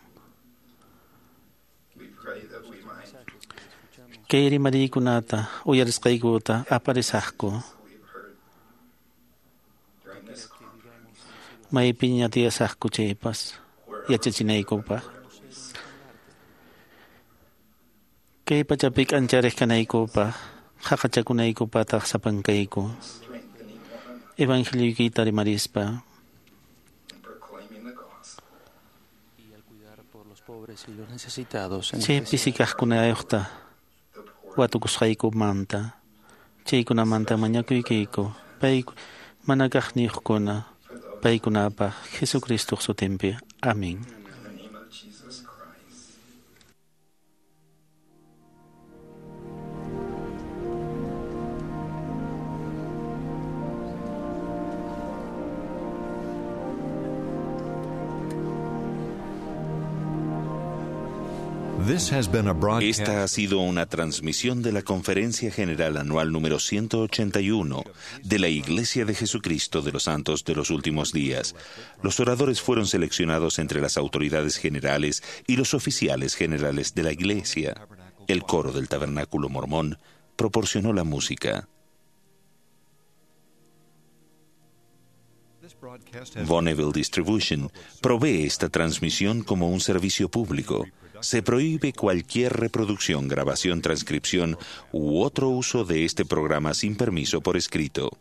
kay rimariykunata uyarisqaykuta aparisaqku maypiña tiyasaqku chaypas yachachinaykupaq kay pachapi k'anchariq kanaykupaq qhaqachakunaykupataq sapankayku evangelioykita rimarispa chay pisikaqkunayuqta watukusqaykumanta chaykunamanta mañakuykiyku pay mana kaqniyuqkuna paykunapaq Jesucristoq sutinpi. Amén. Esta ha sido una transmisión de la Conferencia General Anual número 181 de la Iglesia de Jesucristo de los Santos de los Últimos Días. Los oradores fueron seleccionados entre las autoridades generales y los oficiales generales de la Iglesia. El coro del Tabernáculo Mormón proporcionó la música. Bonneville Distribution provee esta transmisión como un servicio público. Se prohíbe cualquier reproducción, grabación, transcripción u otro uso de este programa sin permiso por escrito.